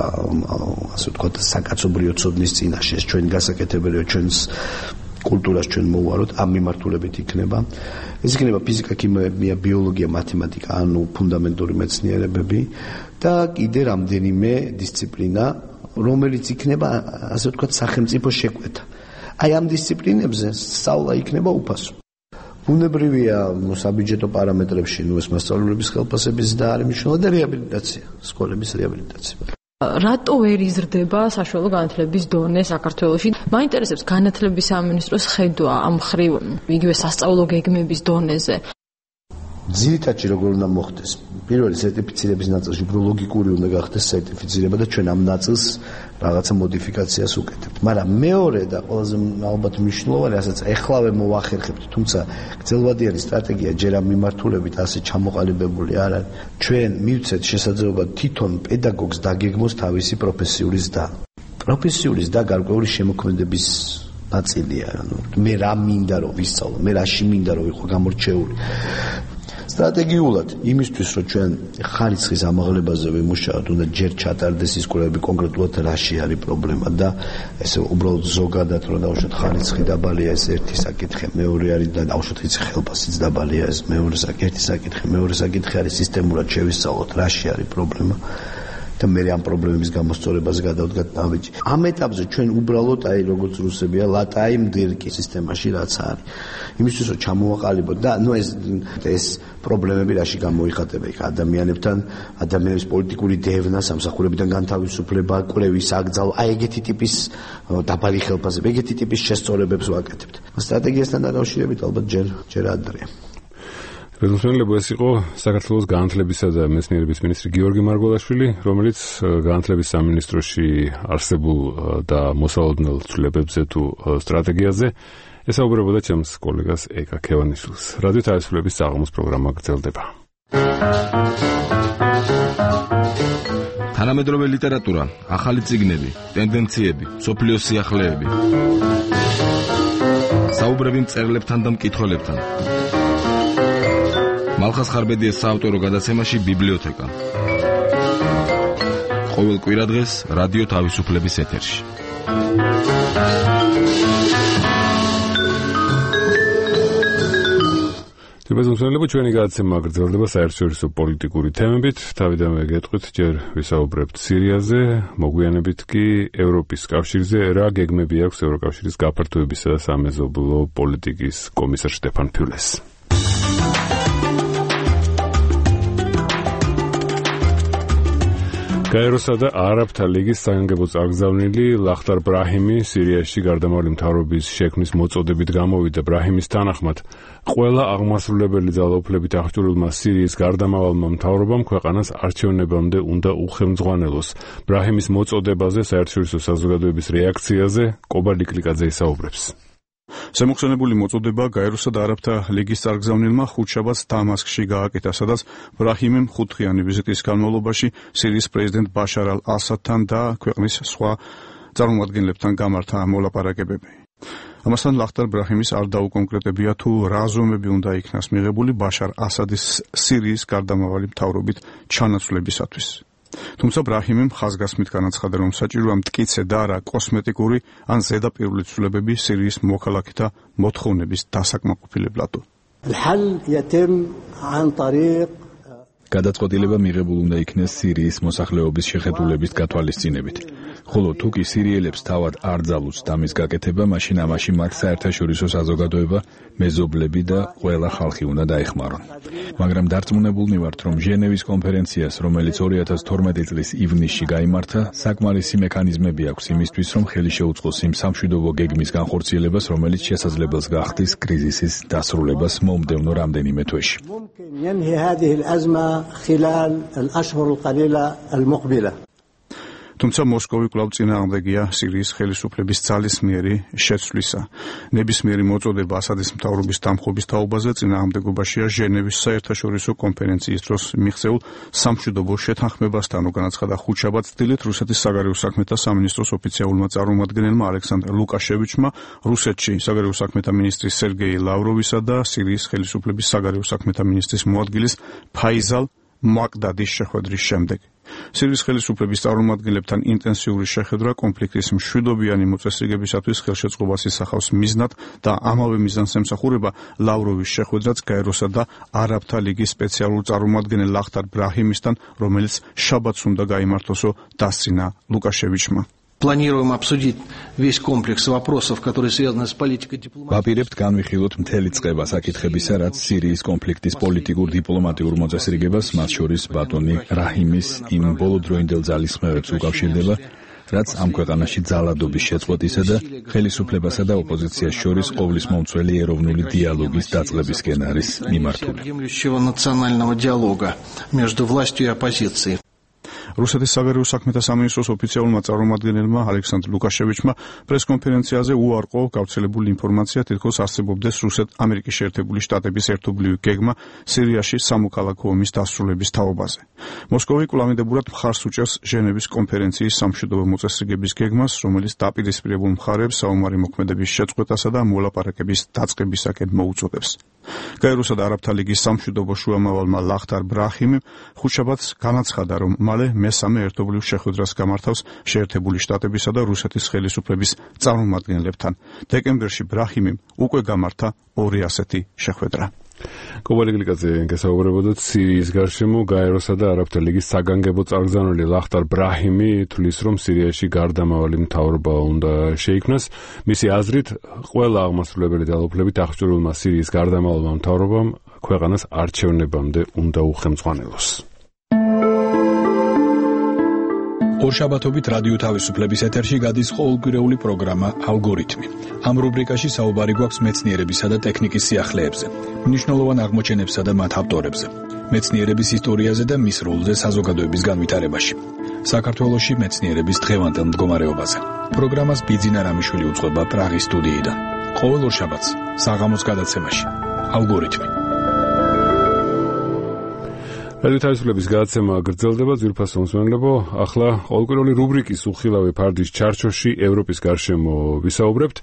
ასე ვთქვათ, საკაცობრიო ცოდნის წინაშე, ეს ჩვენი გასაკეთებელია, ჩვენს კულტურას ჩვენ მოვაროთ, ამ მიმართულებით იქნება. ეს იქნება ფიზიკა, ქიმია, ბიოლოგია, მათემატიკა, ანუ ფუნდამენტური მეცნიერებები და კიდე რამდენიმე დისციპლინა, რომელიც იქნება, ასე ვთქვათ, სახელმწიფო შეკვეთა. აი ამ დისციპლინებზე სწავლა იქნება უფასო. ბუნებრივია საბიუჯეტო პარამეტრებში, ეს მასწავლებლების ხელფასების და არის მნიშვნელოვანი და რეაბილიტაცია, სკოლების რეაბილიტაცია. რატო ვერ იზრდება საშუალო განათლების დონე საქართველოში? მაინტერესებს განათლების სამინისტროს ხედვა ამ ხრივ იგივე სასწავლო გეგმების დონეზე. ძირითადად როგორ უნდა მოხდეს? პირველი სერტიფიცირების ნაწილში უფრო ლოგიკური უნდა გახდეს სერტიფიცირება და ჩვენ ამ ნაწილს რაღაცა მოდიფიკაციას უკეთებთ. მაგრამ მეორე და ყველაზე ალბათ მნიშვნელოვანი, რასაც ეხლავე მოვახერხებთ, თუმცა გრძელვადიანი სტრატეგია ჯერ ამ მიმართულებით ასე ჩამოყალიბებული არ არის. ჩვენ მივცეთ შესაძლებლობა თვითონ პედაგოგს დაგეგმოს თავისი პროფესიული ზრდა. პროფესიული ზრდა გარკვეული შემოქმედების ნაწილია. ანუ მე რა მინდა რომ ვისწავლო, მე რაში მინდა რომ ვიყო გამორჩეული. სტრატეგიულად იმისთვის რომ ჩვენ ხარისხის ამაღლებაზე ვიმუშაოთ, უნდა ჯერ ჩატარდეს ის კვლევები კონკრეტულად რაში არის პრობლემა და ესე უბრალოდ ზოგადად რომ დავუშვათ ხარისხი დაბალია, ეს ერთი საკითხი, მეორე არის და დავუშვათ ის ხელფასიც დაბალია, ეს მეორე საკითხი, მეორე საკითხი არის სისტემურად შევისწავლოთ რაში არის პრობლემა და მე ამ პრობლემების გამოსწორებას გადავდგათ ნაბიჯი. ამ ეტაპზე ჩვენ უბრალოდ აი როგორც რუსებია ლატაი მდირკი სისტემაში რაც არის. იმისთვის რომ ჩამოვაყალიბოთ და ნუ ეს პრობლემები რაში გამოიხატება იქ ადამიანებთან, ადამიანების პოლიტიკური დევნა, სამსახურებიდან განთავისუფლება, კვლევის აკრძალვა, აი ეგეთი ტიპის დაბალი ხელფასები, ეგეთი ტიპის შესწორებებს ვაკეთებთ. სტრატეგიასთან დაკავშირებით ალბათ ჯერ ადრეა. რეზოლუციები ეს იყო საქართველოს განათლებისა და მეცნიერების მინისტრი გიორგი მარგველაშვილი, რომელიც განათლების სამინისტროში არსებულ და მოსალოდნელ ცვლილებებზე თუ სტრატეგიაზე ესაუბრებოდა ჩემს კოლეგას ეკა ქევანიშვილს. რადიო თავისუფლების საღამოს პროგრამა გრძელდება. თანამედროვე ლიტერატურა, ახალი წიგნები, ტენდენციები, მსოფლიოს სიახლეები. საუბრები მწერლებთან და მკითხველებთან. მალხას ხარბედიას საავტორო გადაცემაში ბიბლიოთეკა. ყოველ კვირადღეს რადიო თავისუფლების ეთერში. თუმცა ჩვენი გადაცემა გრძელდება საერთაშორისო პოლიტიკური თემებით. თავიდანვე გეტყვით, ჯერ ვისაუბრებთ სირიაზე, მოგვიანებით კი ევროპის კავშირზე, რა გეგმები აქვს ევროკავშირის გაფართოებისა და სამეზობლო პოლიტიკის კომისარ შტეფან ფიულეს. გაეროსა და არაბთა ლიგის საგანგებო წარგზავნილი ლახტარ ბრაჰიმი სირიაში გარდამავალი მთავრობის შექმნის მოწოდებით გამოვიდა. ბრაჰიმის თანახმად, ყველა აღმასრულებელი ძალაუფლებით აღჭურვილმა სირიის გარდამავალმა მთავრობამ ქვეყანას არჩევნებამდე უნდა უხელმძღვანელოს. ბრაჰიმის მოწოდებაზე საერთაშორისო საზოგადოების რეაქციაზე კობა ლიკლიკაძე ისაუბრებს. შემოხსენებული მოწოდება გაეროსა და არაბთა ლიგის წარგზავნილმა ხუთშაბათს დამასკში გააკეთა, სადაც ბრაჰიმიმ 5-დღიანი ვიზიტის განმავლობაში სირიის პრეზიდენტ ბაშარ ალ-ასადთან და ქვეყნის სხვა წარმომადგენლებთან გამართა მოლაპარაკებები. ამასთან ლახტარ ბრაჰიმის არ დაუკონკრეტებია თუ რა ზომები უნდა იქნას მიღებული ბაშარ ასადის სირიის გარდამავალი მთავრობით ჩანაცვლებისათვის. თუმცა ბრაჰიმიმ ხაზგასმით განაცხადა, რომ საჭიროა მტკიცე და არა კოსმეტიკური ან ზედაპირული ცვლილებები სირიის მოქალაქეთა მოთხოვნების დასაკმაყოფილებლად. გადაწყვეტილება მიღებულ უნდა იქნეს სირიის მოსახლეობის შეხედულების გათვალისწინებით. ხოლო თუ კი სირიელებს თავად არ ძალუძს ამის გაკეთება, მაშინ ამაში მათ საერთაშორისო საზოგადოება, მეზობლები და ყველა ხალხი უნდა დაეხმარონ. მაგრამ დარწმუნებულნი ვართ, რომ ჟენევის კონფერენციას, რომელიც 2012 წლის ივნისში გაიმართა, საკმარისი მექანიზმები აქვს იმისთვის, რომ ხელი შეუწყოს იმ სამშვიდობო გეგმის განხორციელებას, რომელიც შესაძლებელს გახდის კრიზისის დასრულებას მომდევნო რამდენიმე თვეში. თუმცა მოსკოვი კვლავ წინააღმდეგია სირიის ხელისუფლების ძალის მიერი შეცვლისა. ნებისმიერი მოწოდება ასადის მთავრობის დამხობის თაობაზე წინააღმდეგობაშია ჟენევის საერთაშორისო კონფერენციის დროს მიღწეულ სამშვიდობო შეთანხმებასთან, განაცხადა ხუთშაბათს დილით რუსეთის საგარეო საქმეთა სამინისტროს ოფიციალურმა წარმომადგენელმა ალექსანდრ ლუკაშევიჩმა რუსეთში საგარეო საქმეთა მინისტრის სერგეი ლავროვისა და სირიის ხელისუფლების საგარეო საქმეთა მინისტრის მოადგილის ფაიზალ მაკდადის შეხვედრის შემდეგ. სირიის ხელისუფლების წარმომადგენლებთან ინტენსიური შეხვედრა კონფლიქტის მშვიდობიანი მოწესრიგებისათვის ხელშეწყობას ისახავს მიზნად და ამავე მიზანს ემსახურება ლავროვის შეხვედრაც გაეროსა და არაბთა ლიგის სპეციალურ წარმომადგენელ ლახტარ ბრაჰიმისთან, რომელიც შაბათს უნდა გაიმართოსო, დასცინა ლუკაშევიჩმა. Планируем обсудить весь комплекс вопросов, которые связаны с политикой дипломатии. ვაპირებთ განვიხილოთ მთელი წყება საკითხებისა, რაც სირიის კონფლიქტის პოლიტიკურ დიპლომატიურ მოწესრიგებას, მათ შორის ბატონი რაჰიმის იმ ბოლოდროინდელ ძალისხმევებს უკავშირდება, რაც ამ ქვეყანაში ძალადობის შეწყვეტისა და ხელისუფლებასა და ოპოზიციას შორის ყოვლის მომცველი ეროვნული დიალოგის დაწყებისკენ არის მიმართული. национального диалога между властью и оппозицией. რუსეთის საგარეო საქმეთა სამინისტროს ოფიციალურმა წარმომადგენელმა ალექსანდრ ლუკაშევიჩმა პრესკონფერენციაზე უარყო გავრცელებული ინფორმაცია, თითქოს არსებობდეს რუსეთ-ამერიკის შეერთებული შტატების ერთობლივი გეგმა სირიაში სამოქალაქო ომის დასრულების თაობაზე. მოსკოვი კვლავინდებურად მხარს უჭერს ჟენევის კონფერენციის სამშვიდობო მოწესრიგების გეგმას, რომელიც დაპირისპირებულ მხარეებს საომარი მოქმედების შეწყვეტასა და მოლაპარაკების დაწყებისაკენ მოუწოდებს. გაეროსა და არაბთა ლიგის სამშვიდობო შუამავალმა ლახტარ ბრაჰიმი ხუთშაბათს განაცხადა, რომ მალე მესამე ერთობლივ შეხვედრას გამართავს შეერთებული შტატებისა და რუსეთის ხელისუფლების წარმომადგენლებთან. დეკემბერში ბრაჰიმიმ უკვე გამართა ორი ასეთი შეხვედრა. კობალი გლიკაძე გასაუბრებოდათ სირიის გარშემო. გაეროსა და არაბთა ლიგის საგანგებო წარგზავნილი ლახტარ ბრაჰიმი თვლის, რომ სირიაში გარდამავალი მთავრობა უნდა შეიქმნას. მისი აზრით, ყველა აღმასრულებელი ძალაუფლებით აღჭურვილმა სირიის გარდამავალმა მთავრობამ ქვეყანას არჩევნებამდე უნდა უხელმძღვანელოს. ორშაბათობით რადიო თავისუფლების ეთერში გადის ყოველკვირეული პროგრამა ალგორითმი. ამ რუბრიკაში საუბარი გვაქვს მეცნიერებისა და ტექნიკის სიახლეებზე, მნიშვნელოვან აღმოჩენებსა და მათ ავტორებზე, მეცნიერების ისტორიაზე და მის როლზე საზოგადოების განვითარებაში. საქართველოში მეცნიერების დღევანდელ მდგომარეობაზე. პროგრამას ბიძინა რამიშვილი უწყება პრაღის სტუდიიდან. ყოველ ორშაბათს საღამოს გადაცემაში ალგორითმი. რადიო თავისუფლების გადაცემა გრძელდება, ძვირფასო მსმენელებო. ახლა ყოველკვირეული რუბრიკის უხილავი ფარდის ჩარჩოში ევროპის გარშემო ვისაუბრებთ.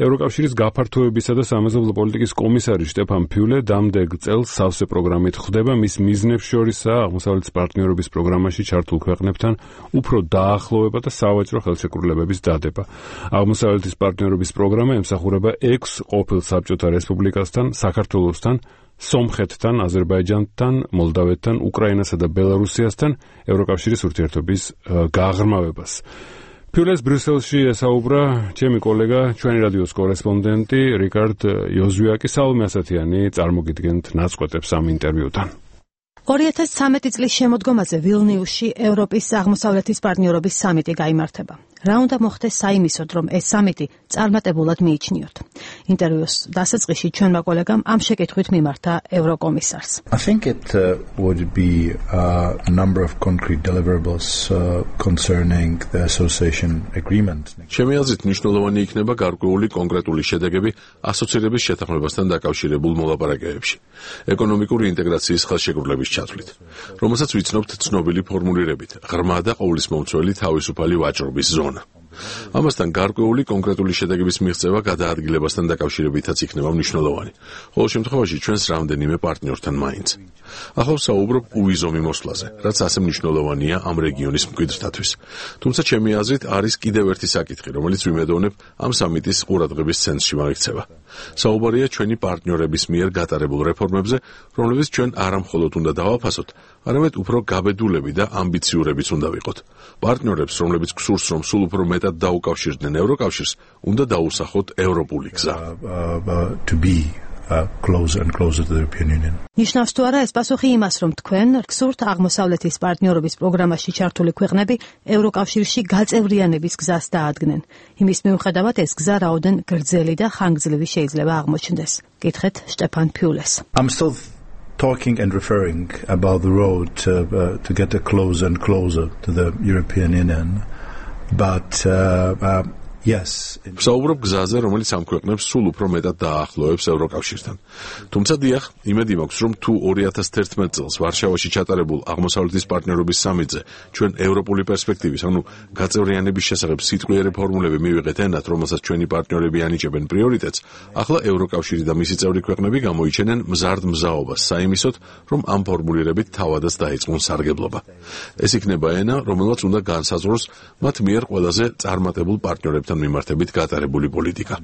ევროკავშირის გაფართოებისა და სამეზობლო პოლიტიკის კომისარი შტეფან ფიულე დამდეგ წელს სავსე პროგრამით ხვდება. მის მიზნებს შორისაა აღმოსავლეთის პარტნიორობის პროგრამაში ჩართულ ქვეყნებთან უფრო დაახლოვება და სავაჭრო ხელშეკრულებების დადება. აღმოსავლეთის პარტნიორობის პროგრამა ემსახურება 6 ყოფილ საბჭოთა რესპუბლიკასთან, საქართველოსთან, სომხეთთან, აზერბაიჯანთან, მოლდავეთთან, უკრაინასა და ბელარუსიასთან ევროკავშირის ურთიერთობის გაღრმავებას. ფიულეს ბრიუსელში ესაუბრა ჩემი კოლეგა, ჩვენი რადიოს კორესპონდენტი რიკარდ იოზვიაკი. საალმე ასათიანი წარმოგიდგენთ ნაწყვეტებს ამ ინტერვიუდან. 2013 წლის შემოდგომაზე ვილნიუსში ევროპის აღმოსავლეთის პარტნიორობის სამიტი გაიმართება. რა უნდა მოხდეს საიმისოდ, რომ ეს სამიტი წარმატებულად მიიჩნიოთ. ინტერვიუს დასაწყისში ჩვენმა კოლეგამ ამ შეკითხვით მიმართა ევროკომისარს. I think it would be a number of concrete deliverables concerning the association agreement. ჩემი აზრით მნიშვნელოვანი იქნება გარკვეული კონკრეტული შედეგები ასოცირების შეთანხმებასთან დაკავშირებულ მოლაპარაკებებში, ეკონომიკური ინტეგრაციის ხელშეკრულების ჩათვლით, რომელსაც ვიცნობთ ცნობილი ფორმულირებით: ღრმა და ყოვლისმომცველი თავისუფალი ვაჭრობის ზონა. ამასთან გარკვეული კონკრეტული შედეგების მიღწევა გადაადგილებასთან დაკავშირებითაც იქნება მნიშვნელოვანი, ყოველ შემთხვევაში ჩვენს რამდენიმე პარტნიორთან მაინც. ახლა ვსაუბრობ უვიზომი მოსვლაზე, რაც ასე მნიშვნელოვანია ამ რეგიონის მკვიდრთათვის. თუმცა ჩემი აზრით არის კიდევ ერთი საკითხი, რომელიც ვიმედოვნებ ამ სამიტის ყურადღების ცენტრში მოექცევა. საუბარია ჩვენი პარტნიორების მიერ გატარებულ რეფორმებზე, რომლებიც ჩვენ არა მხოლოდ უნდა დავაფასოთ, არამედ უფრო გაბედულები და ამბიციურებიც უნდა ვიყოთ. პარტნიორებს, რომლებიც გსურს, რომ სულ უფრო მეტად დაუკავშირდნენ ევროკავშირს, უნდა დაუსახოთ ევროპული გზა. Closer and closer to the European Union. ნიშნავს თუ არა ეს პასუხი იმას, რომ თქვენ გსურთ აღმოსავლეთის პარტნიორობის პროგრამაში ჩართული ქვეყნები ევროკავშირში გაწევრიანების გზას დაადგნენ. იმის მიუხედავად ეს გზა რაოდენ გრძელი და ხანგრძლივი შეიძლება აღმოჩნდეს. კითხეთ შტეფან ფიულეს. I'm still talking and referring about the road to get closer and closer to the European Union, but yes. ვსაუბრობ გზაზე, რომელიც ამ ქვეყნებს სულ უფრო მეტად დაახლოებს ევროკავშირთან. თუმცა დიახ, იმედი მაქვს, რომ თუ 2011 წელს ვარშავაში ჩატარებულ აღმოსავლეთის პარტნიორობის სამიტზე ჩვენ ევროპული პერსპექტივის, ანუ გაწევრიანების შესახებ სიტყვიერი ფორმულები მივიღეთ ენად, რომელსაც ჩვენი პარტნიორები ანიჭებენ პრიორიტეტს, ახლა ევროკავშირი და მისი წევრი ქვეყნები გამოიჩენენ მზარდ მზაობას საიმისოდ, რომ ამ ფორმულირებით თავადაც დაიწყონ სარგებლობა. ეს იქნება ენა, რომელსაც უნდა განსაზღვროს მათ მიერ ყველაზე წარმატებულ პარტნიორებთან მიმართებით გატარებული პოლიტიკა.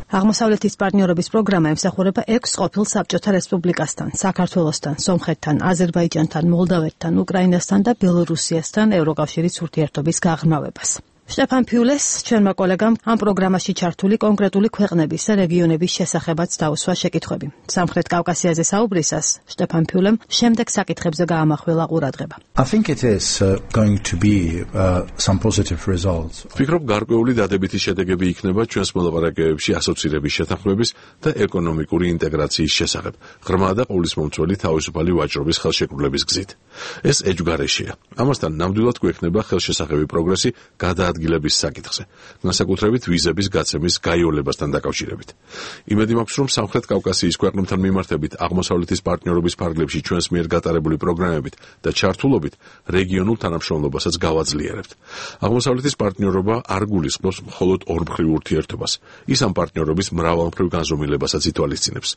აღმოსავლეთის პარტნიორობის პროგრამა ემსახურება 6 ყოფილ საბჭოთა რესპუბლიკასთან, საქართველოსთან, სომხეთთან, აზერბაიჯანთან, მოლდავეთთან, უკრაინასთან და ბელორუსიასთან ევროკავშირის ურთიერთობის გაღრმავებას. შტეფან ფიულეს ჩვენმა კოლეგამ ამ პროგრამაში ჩართული კონკრეტული ქვეყნების და რეგიონების შესახებაც დაუსვა შეკითხვები. სამხრეთ კავკასიაზე საუბრისას შტეფან ფიულემ შემდეგ საკითხებზე გაამახვილა ყურადღება. I think it is going to be some positive results. ვფიქრობ, გარკვეული დადებითი შედეგები იქნება ჩვენს მოლაპარაკებებში ასოცირების შეთანხმების და ეკონომიკური ინტეგრაციის შესახებ, ღრმა და ყოვლისმომცველი თავისუფალი ვაჭრობის ხელშეკრულების გზით. ეს ეჯგარეშია. ამასთან ნამდვილად გვექნება ხელშესახები პროგრესი გადაადგილების საკითხზე, განსაკუთრებით ვიზების გაცემის გაიოლებასთან დაკავშირებით. იმედი მაქვს, რომ სამხრეთ კავკასიის ქვეყნებთან მიმართებით აღმოსავლეთის პარტნიორობის ფარგლებში ჩვენს მიერ გატარებული პროგრამებით და ჩართულობით რეგიონულ თანამშრომლობასაც გავაძლიერებთ. აღმოსავლეთის პარტნიორობა არ გულისხმობს მხოლოდ ორმხრივ ურთიერთობას, ის ამ პარტნიორობის მრავალმხრივ განზომილებასაც ითვალისწინებს.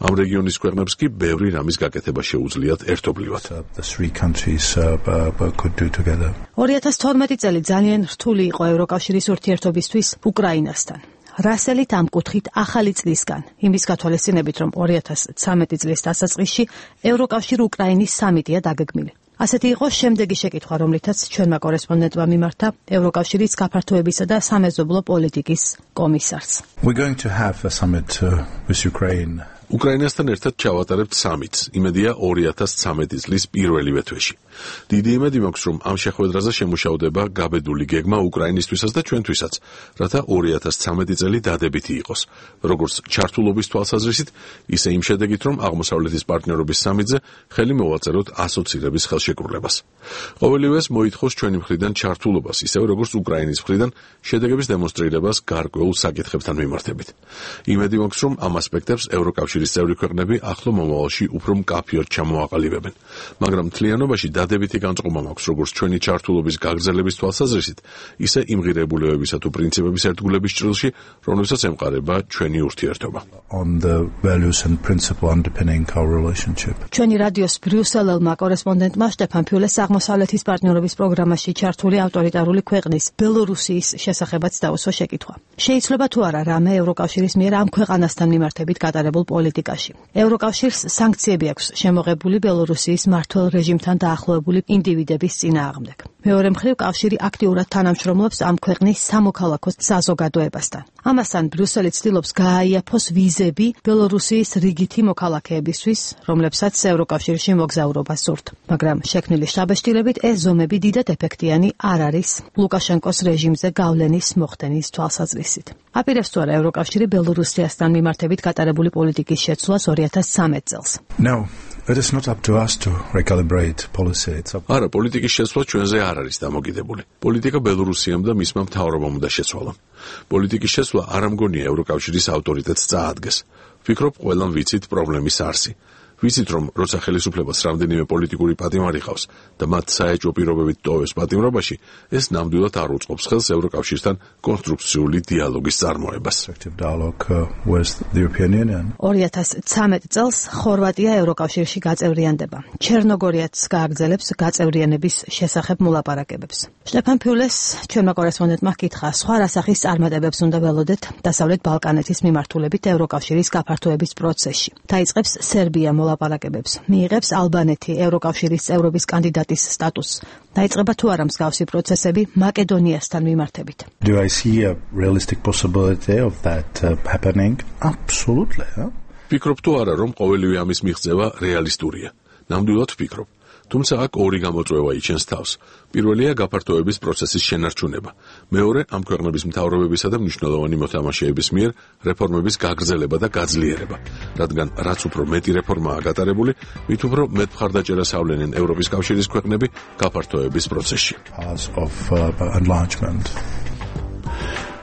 ამ რეგიონის ქვეყნებს კი ბევრი რამის გაკეთება შეუძლიათ ერთობლივად. 2012 წელი ძალიან რთული იყო ევროკავშირის ურთიერთობისთვის უკრაინასთან. რასელით ამ კუთხით ახალი წლისგან, იმის გათვალისწინებით, რომ 2013 წლის დასაწყისში ევროკავშირ უკრაინის სამიტია დაგეგმილი. ასეთი იყო შემდეგი შეკითხვა, რომლითაც ჩვენმა კორესპონდენტმა მიმართა ევროკავშირის გაფართოებისა და სამეზობლო პოლიტიკის კომისარს. We're going to have a summit with Ukraine. უკრაინასთან ერთად ჩავატარებთ სამიტს, იმედია 2013 წლის პირველივე თვეში. დიდი იმედი მაქვს, რომ ამ შეხვედრაზე შემუშავდება გაბედული გეგმა უკრაინისთვისაც და ჩვენთვისაც, რათა 2013 წელი დადებითი იყოს, როგორც ჩართულობის თვალსაზრისით, ისე იმ შედეგით, რომ აღმოსავლეთის პარტნიორობის სამიტზე ხელი მოვაწეროთ ასოცირების ხელშეკრულებას. ყოველივეს მოითხოვს ჩვენი მხრიდან ჩართულობას, ისევე როგორც უკრაინის მხრიდან შედეგების დემონსტრირებას გარკვეულ საკითხებთან მიმართებით. იმედი მაქვს, რომ ამ ასპექტებს ევროკავშირის წევრი ქვეყნები ახლო მომავალში უფრო მკაფიოდ ჩამოაყალიბებენ, მაგრამ მთლიანობაში დადებითი განწყობა მაქვს როგორც ჩვენი ჩართულობის გაგრძელების თვალსაზრისით, ისე იმღირებულებებისა თუ პრინციპების ერთგულების ჭრილში, რომლებსაც ემყარება ჩვენი ურთიერთობა. ჩვენი რადიოს ბრიუსელელმა კორესპონდენტმა შტეფან ფიულეს აღმოსავლეთის პარტნიორობის პროგრამაში ჩართული ავტორიტარული ქვეყნის ბელორუსიის შესახებაც დაუსვა შეკითხვა. შეიძლება თუ არა რამე ევროკავშირის მიერ ამ ქვეყანასთან მიმართებით გატარებულ პოლიტიკაში. ევროკავშირს სანქციები აქვს შემოღებული ბელორუსიის მმართველ რეჟიმთან დაახლოებული ინდივიდების წინააღმდეგ. მეორე მხრივ, კავშირი აქტიურად თანამშრომლობს ამ ქვეყნის სამოქალაქო საზოგადოებასთან. ამასთან ბრიუსელი ცდილობს გააიაფოს ვიზები ბელორუსიის რიგითი მოქალაქეებისთვის, რომლებსაც ევროკავშირში მოგზაურობა სურთ. მაგრამ შექმნილი შთაბეჭდილებით ეს ზომები დიდად ეფექტიანი არ არის ლუკაშენკოს რეჟიმზე გავლენის მოხდენის თვალსაზრისით. აპირებს თუ არა ევროკავშირი ბელორუსიასთან მიმართებით გატარებული პოლიტიკის შეცვლას 2013 წელს. No. It is not up to us to recalibrate policy. არა, პოლიტიკის შეცვლა ჩვენზე არ არის დამოკიდებული. პოლიტიკა ბელორუსიამ და მისმა მთავრობამ უნდა შეცვალონ. პოლიტიკის შეცვლა არ ამგონია ევროკავშირის ავტორიტეტს წაადგეს. ვფიქრობ, ყველამ ვიცით პრობლემის არსი. ვიცით, რომ როცა ხელისუფლებას რამდენიმე პოლიტიკური პატიმარი ყავს და მათ საეჭვო პირობებით ტოვებს პატიმრობაში, ეს ნამდვილად არ უწყობს ხელს ევროკავშირთან კონსტრუქციული დიალოგის წარმოებას. 2013 წელს ხორვატია ევროკავშირში გაწევრიანდება. ჩერნოგორიაც გააგრძელებს გაწევრიანების შესახებ მოლაპარაკებებს. შტეფან ფიულეს ჩვენმა კორესპონდენტმა ჰკითხა, სხვა რასახის წარმატებებს უნდა ველოდეთ დასავლეთ ბალკანეთის მიმართულებით ევროკავშირის გაფართოების პროცესში. დაიწყებს სერბია მოლაპარაკებებს, მიიღებს ალბანეთი ევროკავშირის წევრობის კანდიდატის სტატუსს. დაიწყება თუ არა მსგავსი პროცესები მაკედონიასთან მიმართებით. Do I see a realistic possibility of that happening? Absolutely. ვფიქრობ თუ არა, რომ ყოველივე ამის მიღწევა რეალისტურია. ნამდვილად ვფიქრობ. თუმცა აქ ორი გამოწვევა იჩენს თავს. პირველია გაფართოების პროცესის შენარჩუნება. მეორე ამ ქვეყნების მთავრობებისა და მნიშვნელოვანი მოთამაშეების მიერ რეფორმების გაგრძელება და გაძლიერება. რადგან რაც უფრო მეტი რეფორმაა გატარებული, მით უფრო მეტ მხარდაჭერას ავლენენ ევროპის კავშირის ქვეყნები გაფართოების პროცესში.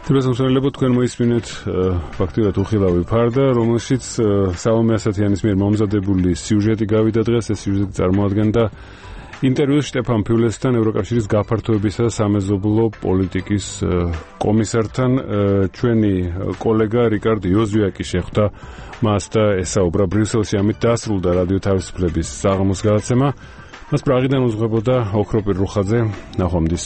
თებესმსმენელებო, თქვენ მოისმინეთ ფაქტიურად უხილავი ფარდა, რომელშიც სალომე ასათიანის მიერ მომზადებული სიუჟეტი გავიდა დღეს. ეს სიუჟეტი წარმოადგენდა ინტერვიუს შტეფან ფიულესთან, ევროკავშირის გაფართოებისა და სამეზობლო პოლიტიკის კომისართან. ჩვენი კოლეგა რიკარდ იოზვიაკი შეხვდა მას და ესაუბრა ბრიუსელში. ამით დასრულდა რადიო თავისუფლების საღამოს გადაცემა. მას პრაღიდან უძღვებოდა ოქროპირ რუხაძე. ნახვამდის.